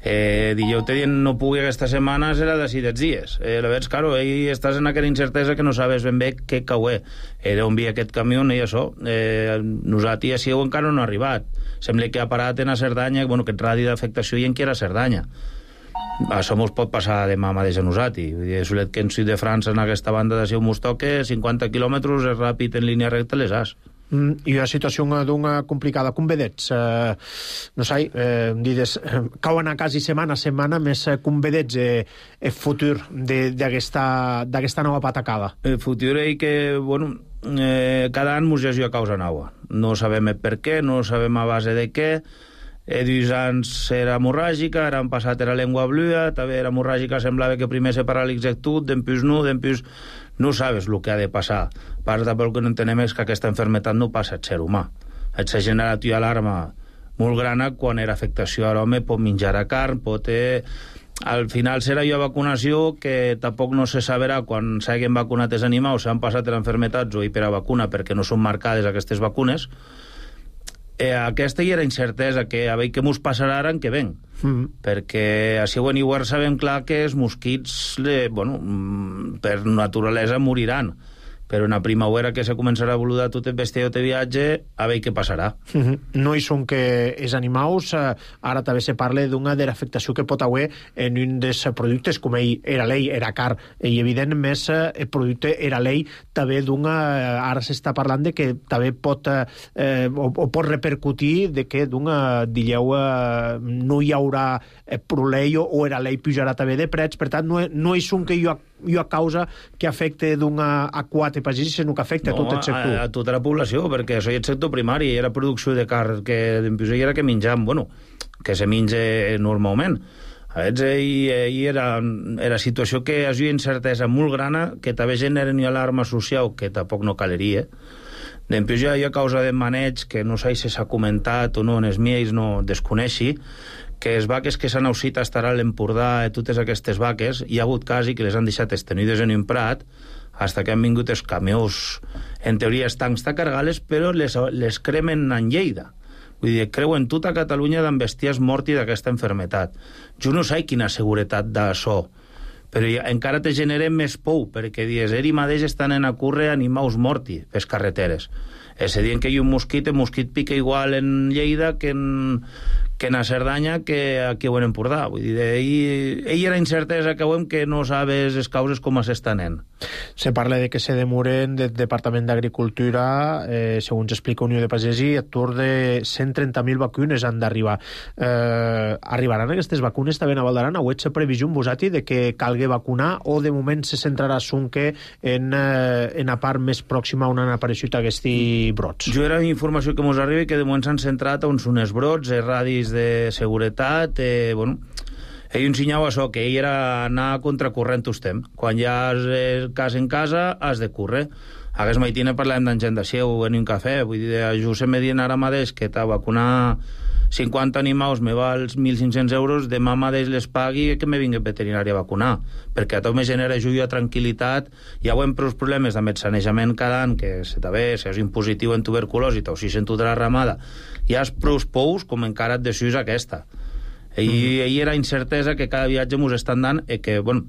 Dijous te dient no pugui aquesta setmana serà d'ací dels dies. La veig, claro, estàs en aquella incertesa que no sabes ben bé què cauer. D'on vi aquest camió i això. Nosaltres així encara no ha arribat. Sembla que ha parat en a Cerdanya, bueno, aquest radi d'afectació i en qui era Cerdanya. Això mos pot passar demà mateix a nosaltres. És que en Sud de França, en aquesta banda de Seu mos toque 50 quilòmetres és ràpid en línia recta les has. I una situació complicada, com vedets, no sé, dides, cauen a quasi setmana a setmana, més com vedets el futur d'aquesta nova patacada. El futur és que, bueno, cada any mos llegiu a causa nova. No sabem per què, no sabem a base de què. Dos anys era hemorràgica, ara han passat era llengua blua, també era hemorràgica, semblava que primer se paralitzés tot, d'empús no sabes el que ha de passar. Part del que no entenem és que aquesta enfermetat no passa al ser humà. Et s'ha generat una alarma molt gran quan era afectació a l'home, pot menjar a carn, pot... Al final serà una vacunació que tampoc no se sabrà quan s'hagin vacunat els animals, s'han passat les enfermetats o per a vacuna perquè no són marcades aquestes vacunes. Aquesta hi era incertesa, que a veure què mos passarà ara en què ven. Perquè a Siuen i Guard sabem clar que els mosquits, per naturalesa moriran, però en la primavera que se començarà a evolucionar tot el bestiar de viatge, a veure què passarà. No hi són que els animals, ara també se parla d'una de l'afectació que pot haver en un dels productes, com era l'ei, era car, i evident més el producte era l'ei, també d'una, ara s'està parlant de que també pot repercutir de que d'una, digueu, no hi haurà prolei o era l'ei pujarà també de prets, per tant no hi són que hi ha causa que afecte d'una a 4 pagès, sinó que afecta a tot el sector. A tota la població, perquè això és el sector primari, era producció de carn, que d'empús era que menjam, que se menja normalment. A veure, era situació que hi ha incertesa molt grana, que també generen una alarma social, que tampoc no caleria. D'empús hi ha causa de maneig, que no sé si s'ha comentat o no, en els mies no desconeixi, que les vaques que s'han aussit a estar a l'Empordà, totes aquestes vaques, hi ha hagut quasi que les han deixat estenides en un prat, hasta que han vingut els camions, en teoria estancs a cargar-les, però les cremen en Lleida. Vull dir, creuen tota Catalunya d'en besties morti d'aquesta enfermetat. Jo no sé quina seguretat d'això, però encara te generen més por, perquè dius, eri mateix estan en a córrer animals morti per carreteres. És a dir, que hi ha un mosquit, el mosquit pica igual en Lleida que en a Cerdanya que aquí ho en Empordà. Vull dir, ell era incertesa que veiem que no sabes les causes com s'estan en. Se parla de que se demoren del Departament d'Agricultura, segons explica Unió de Pagesi, a tour de 130.000 vacunes han d'arribar. Arribaran aquestes vacunes també a Val d'Aran? Heu hecho previsió en vosati de que calgui vacunar o de moment se centrarà sonque en la part més pròxima on han apareixut aquests brots? Jo era informació que mos arriba que de moment s'han centrat on són els brots, els radis de seguretat, ell ensenyava això, que ell era anar a contracorrent estem. Quan ja has el cas en casa, has de córrer. Hagués maitina parlàvem d'en gent de Seu en un cafè, vull dir, jo se me dient ara mateix que t'ha vacunar 50 animals me val 1.500 euros, demà mateix les pagui que me vingui el veterinari a vacunar, perquè a tot me genera joia, tranquil·litat, ja ho hem prou problemes de sanejament cada any, que se t'ha si és impositiu en tuberculosi, o si sento de la ramada, ja és prou pous com encara et decius aquesta. Ahir era incertesa que cada viatge mos estan dant i que, bueno,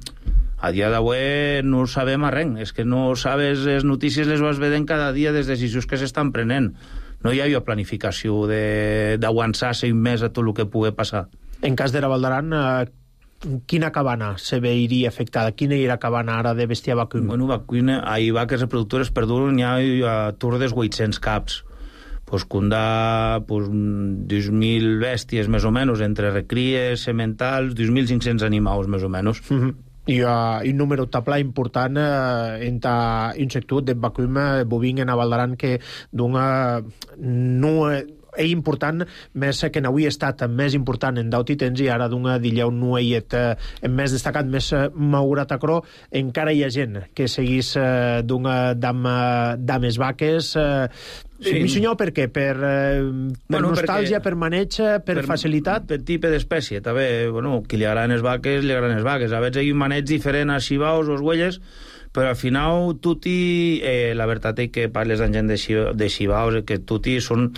a dia d'avui no sabem res, és que no sabes, les notícies les vas veient cada dia des de decisions que s'estan prenent. No hi havia planificació d'aguançar-se un mes a tot el que pugui passar. En cas de la Val d'Aran, quina cabana se veiria afectada? Quina era cabana ara de bestiar vacuna? Bueno, vacuna, hi vaques reproductores perduren ja a tour dels 800 caps. Pues cunda 2.000 bèsties més o menys, entre recries, sementals, 2.500 animals més o menys. I un número tabla important en un sector de vacuna bovin en Val d'Aran que d'una no és important, més que n'avui ha estat més important en daudit temps i ara d'una d'illeu no hi més destacat, més maurat acrò, encara hi ha gent que seguís d'una dames vaques. Sí. Mi senyor, per què? Per nostàlgia, per maneig, per facilitat? Per tipus d'espècie, també. Bueno, qui li agraden les vaques, li agraden les vaques. A vegades hi ha un maneig diferent a xivaus o huelles, però al final la veritat és que parles amb gent de xivaus, que tutti són...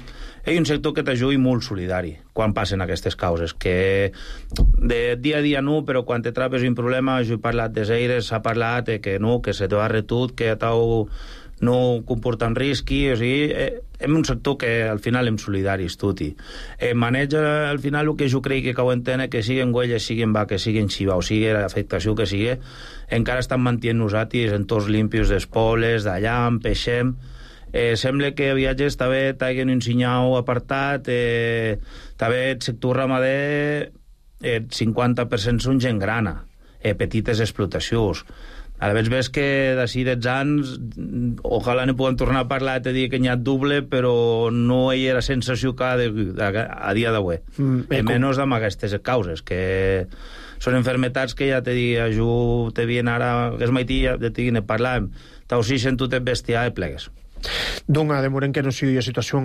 Hi ha un sector que t'ajuda molt solidari quan passen aquestes causes, que de dia a dia no, però quan te trapes un problema, jo he parlat de zeires, s'ha parlat que no, que se te va retut, que t'hau no comporta un risqui, o sigui, hem un sector que al final hem solidaris, tutti. Maneja, al final, el que jo crec que ho entenen, que siguin huelles, siguin vaques, siguin xiva, o sigui, l'afectació que sigui, encara estan mantenint nosaltres entorns limpios d'espoles, d'allam, peixem. Sembla que viatges també t'haguen un senyal apartat, també el sector ramader, el 50% són gent grana, petites explotacions. A la ves que d'ací 10 anys ojalà no puguem tornar a parlar te dir que n'hi ha doble, però no hi era sensació que a dia d'avui. Menys amb aquestes causes, que són enfermetats que ja te dic, jo te vien ara, que és maití, ja te dic, ne parlàvem, t'ho sí sento te bestiar i plegues. Doncs, de moment que no sigui una situació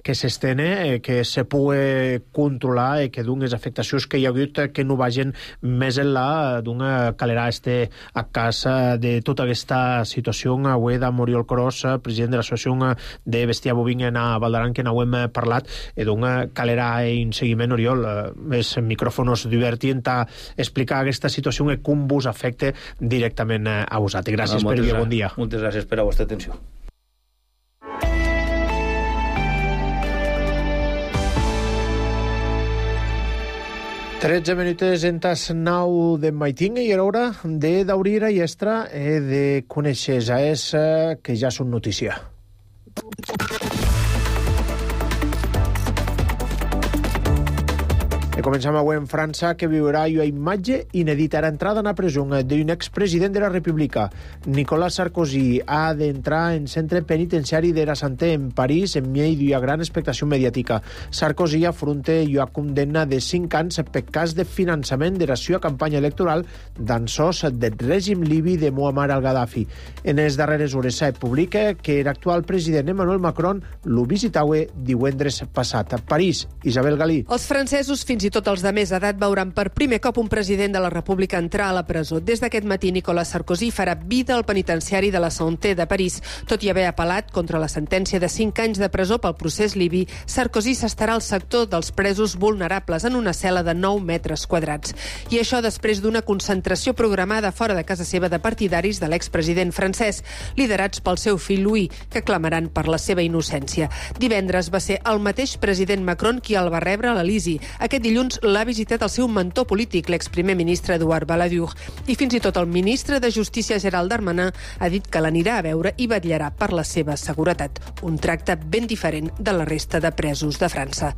que s'estene, que se pugui controlar i que d'unes afectacions que hi ha hagut que no vagin més enllà d'una calerà a casa de tota aquesta situació. Avui de Moriol Cros, president de l'Associació de Bestiar Bovina a Val d'Aran, que n'ho hem parlat, d'una calerà en seguiment. Oriol, els micròfons divertint a explicar aquesta situació i com vos afecta directament a vosaltres. Gràcies per dir bon dia. Moltes gràcies per la vostra atenció. 13 minuts en tas 9 de maitinga i era hora de d'obrir a Iestra de conèixer és que ja són notícia. Comencem avui en França, que viurà una imatge inedita. Era entrada en la presó d'un expresident de la República. Nicolas Sarkozy ha d'entrar en centre penitenciari de la Santé en París en meio d'una gran expectació mediàtica. Sarkozy afronta una condemna de 5 anys per cas de finançament de la seva campanya electoral d'ençòs del règim libi de Muammar al-Gaddafi. En les darreres hores s'ha publicat que l'actual president Emmanuel Macron lo visitava divendres passat. A París, Isabel Galí. Els francesos, fins i tot els de més edat, veuran per primer cop un president de la República entrar a la presó. Des d'aquest matí, Nicolas Sarkozy farà vida al penitenciari de la Santé de París. Tot i haver apel·lat contra la sentència de 5 anys de presó pel procés libi, Sarkozy s'estarà al sector dels presos vulnerables en una cel·la de 9 metres quadrats. I això després d'una concentració programada fora de casa seva de partidaris de l'expresident francès, liderats pel seu fill Louis, que clamaran per la seva innocència. Divendres va ser el mateix president Macron qui el va rebre a l'Elisi. Aquest dilluns l'ha visitat el seu mentor polític, l'exprimer ministre Edouard Balladur. I fins i tot el ministre de Justícia, Gérald Darmanin, ha dit que l'anirà a veure i vetllarà per la seva seguretat. Un tracte ben diferent de la resta de presos de França.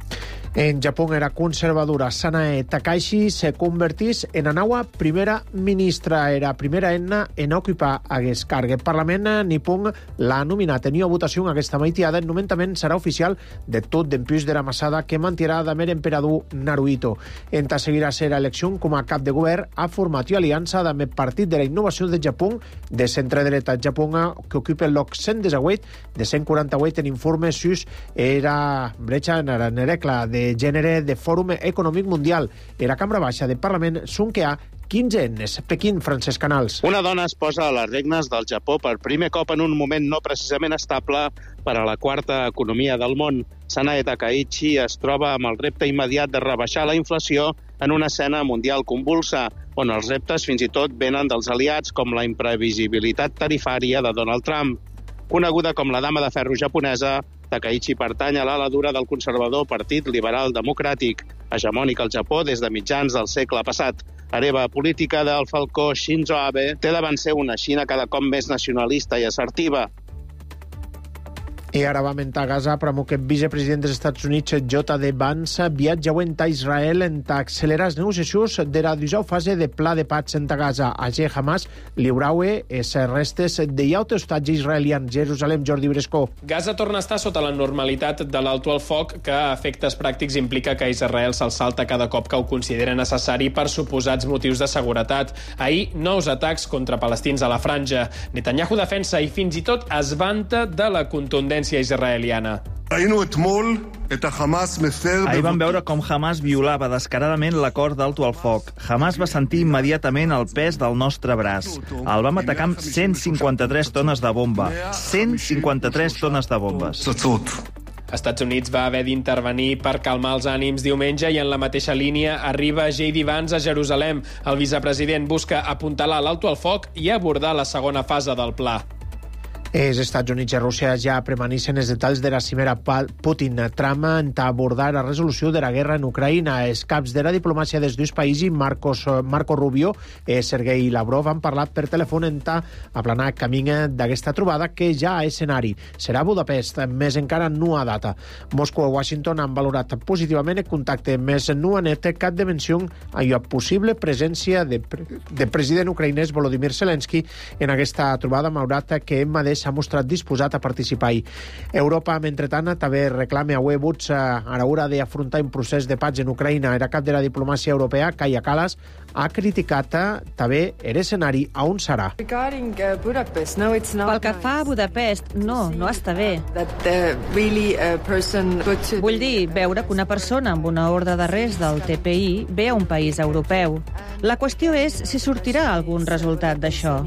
En Japó, era conservadora Sanae Takahashi se convertís en la nova primera ministra. Era primera en ocupar aquest càrrec. El Parlament nipon l'ha nominat en una votació aquesta maitiada. El nomenament serà oficial de tot d'empús de la massada que mantirà damer emperador Naruhito. Naruhito. Enta seguirà a ser elecció com a cap de govern, ha format aliança amb el Partit de la Innovació de Japó, de centre-dreta japonà, que ocupa el lloc 118 de 148 en informe sus era bretxa en regla de gènere de Fòrum Econòmic Mundial. Era Cambra Baixa de Parlament Sunkeà 15 ennes. Pequín, Francesc Canals. Una dona es posa a les regnes del Japó per primer cop en un moment no precisament estable per a la quarta economia del món. Sanae Takaichi es troba amb el repte immediat de rebaixar la inflació en una escena mundial convulsa, on els reptes fins i tot venen dels aliats com la imprevisibilitat tarifària de Donald Trump. Coneguda com la dama de ferro japonesa, Takaichi pertany a l'ala dura del conservador Partit Liberal Democràtic, hegemònic al Japó des de mitjans del segle passat. Hereva política del falcó Shinzo Abe té davant seu una Xina cada cop més nacionalista i assertiva. I ara va mentar a Gaza, però que el vicepresident dels Estats Units, J.D. Vance, viatja avui a Israel en accelerar les negociacions de la 19a fase de pla de paz en Gaza. Allí Hamas lliuraue les restes de autostatge israelians. Jerusalem, Jordi Brescó. Gaza torna a estar sota la normalitat de l'alto al foc, que a efectes pràctics implica que Israel se'l salta cada cop que ho considera necessari per suposats motius de seguretat. Ahir, nous atacs contra palestins a la franja. Netanyahu defensa i fins i tot es vanta de la contundència israeliana. Ahir vam veure com Hamas violava descaradament l'acord d'alto al foc. Hamas va sentir immediatament el pes del nostre braç. El vam atacar amb 153 tones de bomba. 153 tones de bombes. Estats Units va haver d'intervenir per calmar els ànims diumenge i en la mateixa línia arriba J.D. Vance a Jerusalem. El vicepresident busca apuntalar l'alto al foc i abordar la segona fase del pla. Els Estats Units i Rússia ja premanissen els detalls de la cimera Putin. Trama en abordar la resolució de la guerra en Ucraïna. Els caps de la diplomàcia dels dos països, Marco Rubio i Sergei Lavrov, han parlat per telèfon en aplanar camí d'aquesta trobada que ja a escenari. Serà a Budapest, més encara no a data. Moscou i Washington han valorat positivament el contacte, més no han net cap de menció a la possible presència de president ucraïnès Volodymyr Zelensky en aquesta trobada, malgrat que ell mateix s'ha mostrat disposat a participar-hi. Europa, mentrestant, també reclama a Webuts a l'hora d'afrontar un procés de paz en Ucraïna. Era cap de la diplomàcia europea, Kaja Kallas, ha criticat també l'escenari a on serà. Pel que fa a Budapest, no està bé. Vull dir, veure que una persona amb una ordre d'arrest del TPI ve a un país europeu. La qüestió és si sortirà algun resultat d'això.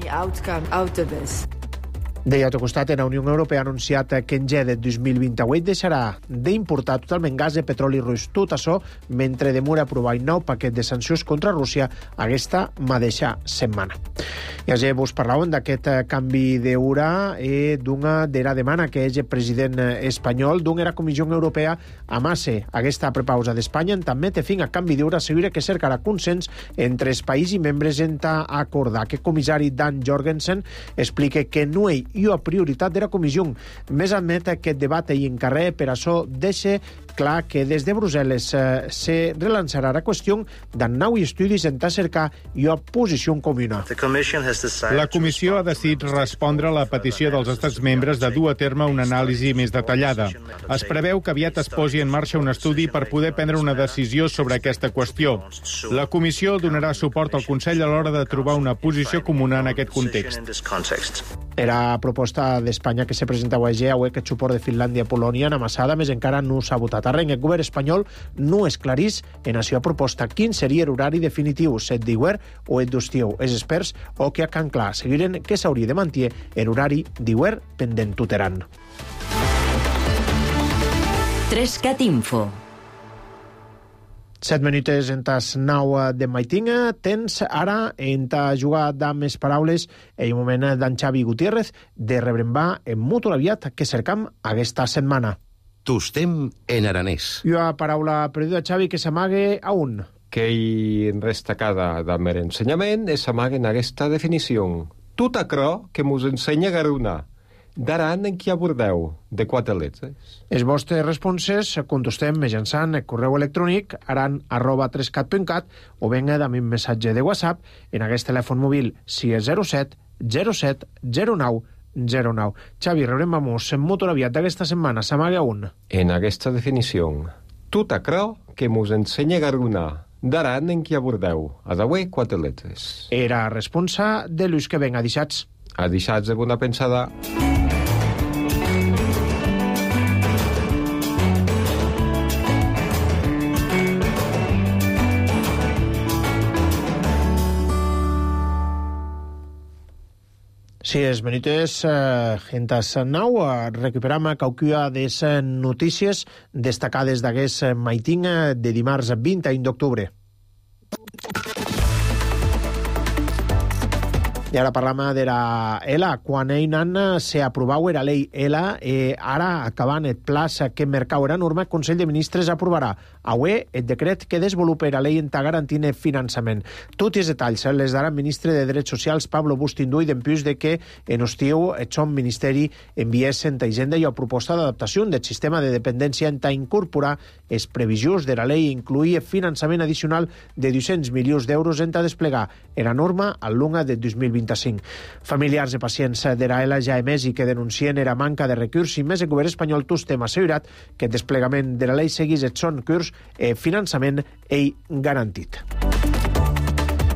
D'altre costat, la Unió Europea ha anunciat que en gener de 2028 deixarà d'importar totalment gas de petroli rus. Tot això mentre demora aprovar un nou paquet de sancions contra Rússia aquesta mateixa setmana. I ja vos parlàvem d'aquest canvi d'hora d'una de la demanda que és el president espanyol d'una la Comissió Europea amasse aquesta prepausa d'Espanya també té fin a canvi d'hora assegura que cercarà consens entre els països i membres en acordar. Que comissari Dan Jorgensen explica que no hi ha prioritat de la comissió. Més admet aquest debat i encarrer per això deixa clar que des de Brussel·les se relançarà la qüestió d'un nou estudi en cercar una posició comuna. La Comissió ha decidit respondre a la petició dels estats membres de dur a terme una anàlisi més detallada. Es preveu que aviat es posi en marxa un estudi per poder prendre una decisió sobre aquesta qüestió. La Comissió donarà suport al Consell a l'hora de trobar una posició comuna en aquest context. Era proposta d'Espanya que se presentava avui que suport de Finlàndia i Polònia en amassada, més encara no s'ha votat a res. El govern espanyol no esclarís en la seva proposta quin seria l'horari definitiu, set d'hivern o el d'estiu. Els experts o que a Can Clar seguiren que s'hauria de mantenir l'horari d'hivern pendent tuteraran. 3CAT Info. 7 minuts en tas 9 de maitinga. Tens ara en ta jugar amb les paraules en un moment d'en Xavi Gutiérrez de rebrembar en molt aviat que cercam aquesta setmana. Tostem en aranès. I una paraula perduda, Xavi, que s'amague a un. Que hi destacada del meu ensenyament és s'amague en aquesta definició. Tot aquello que mos ensenya Garuna. D'aran en qui abordeu, de 4 lletres. Els vostres responses contestem mitjançant el correu electrònic aran@3cat.cat o venga amb un missatge de WhatsApp en aquest telèfon mòbil 607 07 09 Xavi, rebrem-nos en molt aviat d'aquesta setmana. S'amaga un. En aquesta definició, Tot acrò que mos ensenya Garuna. D'aran en qui abordeu. Adaué, 4 letres. Era responsa de l'ús que ven a deixats. A deixats de bona pensada. Sí, es minuts entas nau recuperam caucua des notícies destacades d'aguest maitin de dimarts 21 d'octubre. I ara parlam de la ELA. Quan einan se aprovau era lei ELA, ara acabant el plaç que mercau era norma, el Consell de Ministres aprovarà avui el decret que desenvolupa la lei enta garantint finançament. Tots els detalls les darà el ministre de Drets Socials, Pablo Bustinduy, d'empús de que en estiu el son ministeri enviés enta Hisenda i a proposta d'adaptació del sistema de dependència enta incorporar els previsions de la lei i incluir finançament addicional de 200 milions d'euros enta desplegar era norma al lunga de 2025. Familiars de pacients de la ELA ja emès i que denuncien era manca de recurs i més el govern espanyol tostem assegurat que el desplegament de la lei seguís et son curs finançament ei garantit.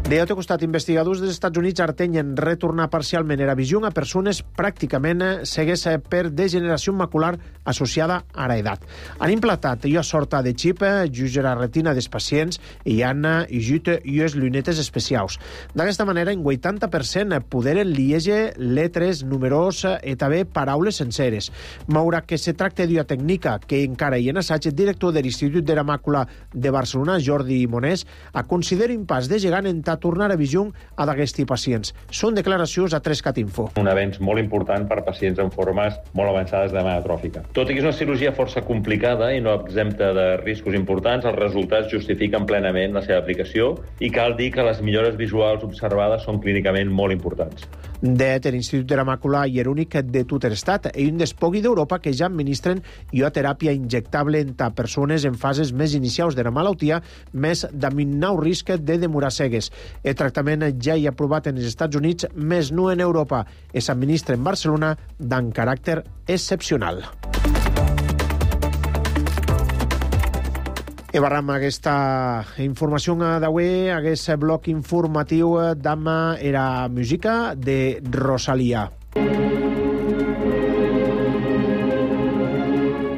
De l'altre costat, investigadors dels Estats Units artenyen retornar parcialment era visió a persones pràcticament cegues per degeneració macular associada a l'edat. Han implantat una sorta de xip just a la retina dels pacients i han ajut unes llunetes especials. D'aquesta manera, en 80% poderen llegir letres, números i també paraules senceres. Malgrat que se tracta d'una tècnica que encara hi ha en assaig, el director de l'Institut de la Màcula de Barcelona, Jordi Monés, considera impàs de gegant en tornar a visió a d'aquests pacients. Són declaracions a 3CatInfo. Un avenç molt important per pacients amb formes molt avançades de demanda atròfica. Tot i que és una cirurgia força complicada i no exempta de riscos importants, els resultats justifiquen plenament la seva aplicació i cal dir que les millores visuals observades són clínicament molt importants. L'Institut de la Màcula i l'únic de tot l'estat i un dels pocs d'Europa que ja administren una teràpia injectable entre persones en fases més inicials de la malaltia, més d'aminau risc de demorar cegues. El tractament ja hi ha aprovat en els Estats Units, més no en Europa. S'administra en Barcelona d'en caràcter excepcional. I barram aquesta informació d'avui, aquest bloc informatiu d'am era música de Rosalía.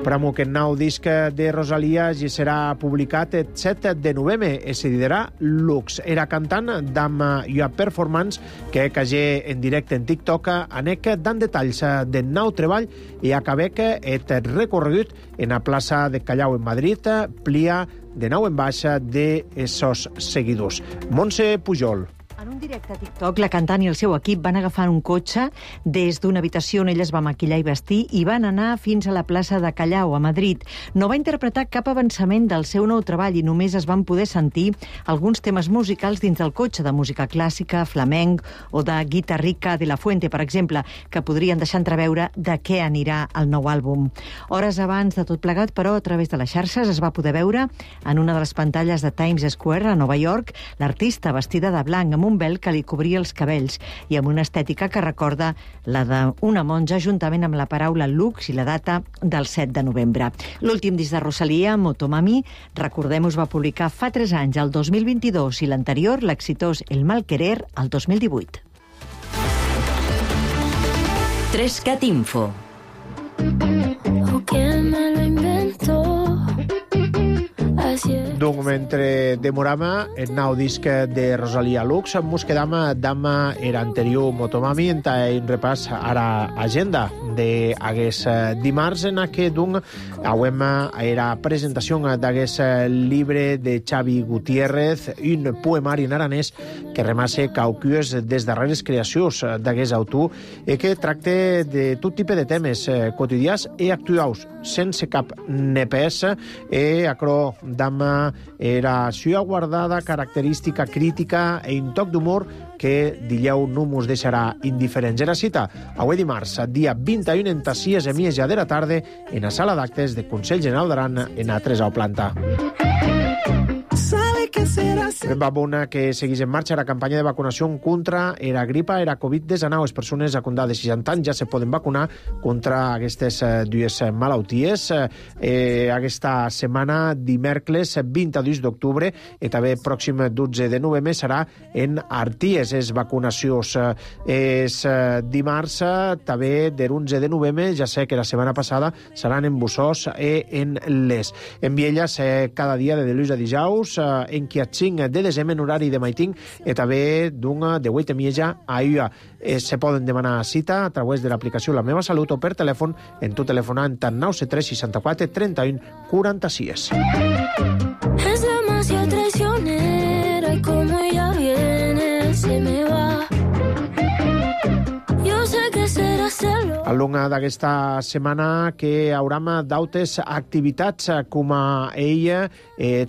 Pramo que el nou disc de Rosalía ja serà publicat el 7 de novembre i se dirà Lux. Era cantant d'am una performance que cagé en directe en TikTok anec dan detalls del nou treball i acabec et recorregut en la plaça de Callao en Madrid, plia de nou en baixa de esos seguidors. Montse Pujol. En un directe a TikTok, la cantant i el seu equip van agafar un cotxe des d'una habitació on ella es va maquillar i vestir i van anar fins a la plaça de Callao, a Madrid. No va interpretar cap avançament del seu nou treball i només es van poder sentir alguns temes musicals dins del cotxe, de música clàssica, flamenc o de guitarrica de la Fuente, per exemple, que podrien deixar entreveure de què anirà el nou àlbum. Hores abans de tot plegat, però, a través de les xarxes es va poder veure en una de les pantalles de Times Square a Nova York l'artista vestida de blanc amb un vel que li cobria els cabells i amb una estètica que recorda la d'una monja, juntament amb la paraula Lux i la data del 7 de novembre. L'últim disc de Rosalía, Motomami, recordem, us va publicar fa 3 anys, el 2022, i l'anterior, l'exitós El Mal Querer, el 2018. 3CatInfo. ¿O quién me lo inventó? Donc, mentre demoràvem el nou disc de Rosalía Lux, mos quedam d'am era anterior Motomami en un repàs ara agenda d'aguest dimarts en què donc auem era presentació d'aguest llibre de Xavi Gutiérrez, un poemari en aranès que remasse caucues des darreres creacions d'aguest autor i que tracta de tot tipus de temes quotidians i actuals, sense cap nepès i acrò d'am era sua guardada característica crítica e un toc d'humor que dileu no mos deixarà indiferents. Era cita avui dimarts, dia 21 en 6:30 de la tarda en la sala d'actes de Consell General d'Aran en A3 planta. ¿Sabe qué será? Va bona que seguís en marxa la campanya de vacunació contra la gripa, la Covid-19. Les persones a condar de 60 anys ja se poden vacunar contra aquestes dues malalties. Aquesta setmana, dimecres 22 d'octubre, i també pròxim 12 de novembre serà en Arties. Les vacunacions és dimarts, també de l'11 de novembre, ja sé que la setmana passada seran en Bussós i en Les. En Vielles, cada dia de dilluns a dijous, en qui 5 de desembre en horari de maiting i també d'una de 8:30 a UA. Se poden demanar cita a través de l'aplicació La Meva Salut o per telèfon en tu telefonant al 973 64 31 46. Es demasiado traicionera y como ella viene, se me va. Yo sé que será celo. Al long d'aquesta setmana que hauram d'altres activitats com a ella el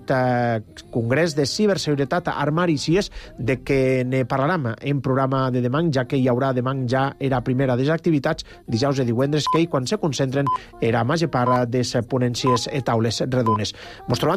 Congrés de Ciberseguretat Armari Cies, de què ne parlarem en programa de demà, ja que hi haurà demà ja era primera de les activitats, dijous i divendres, que quan se concentren era major part de les ponències i taules redones. Mos trobem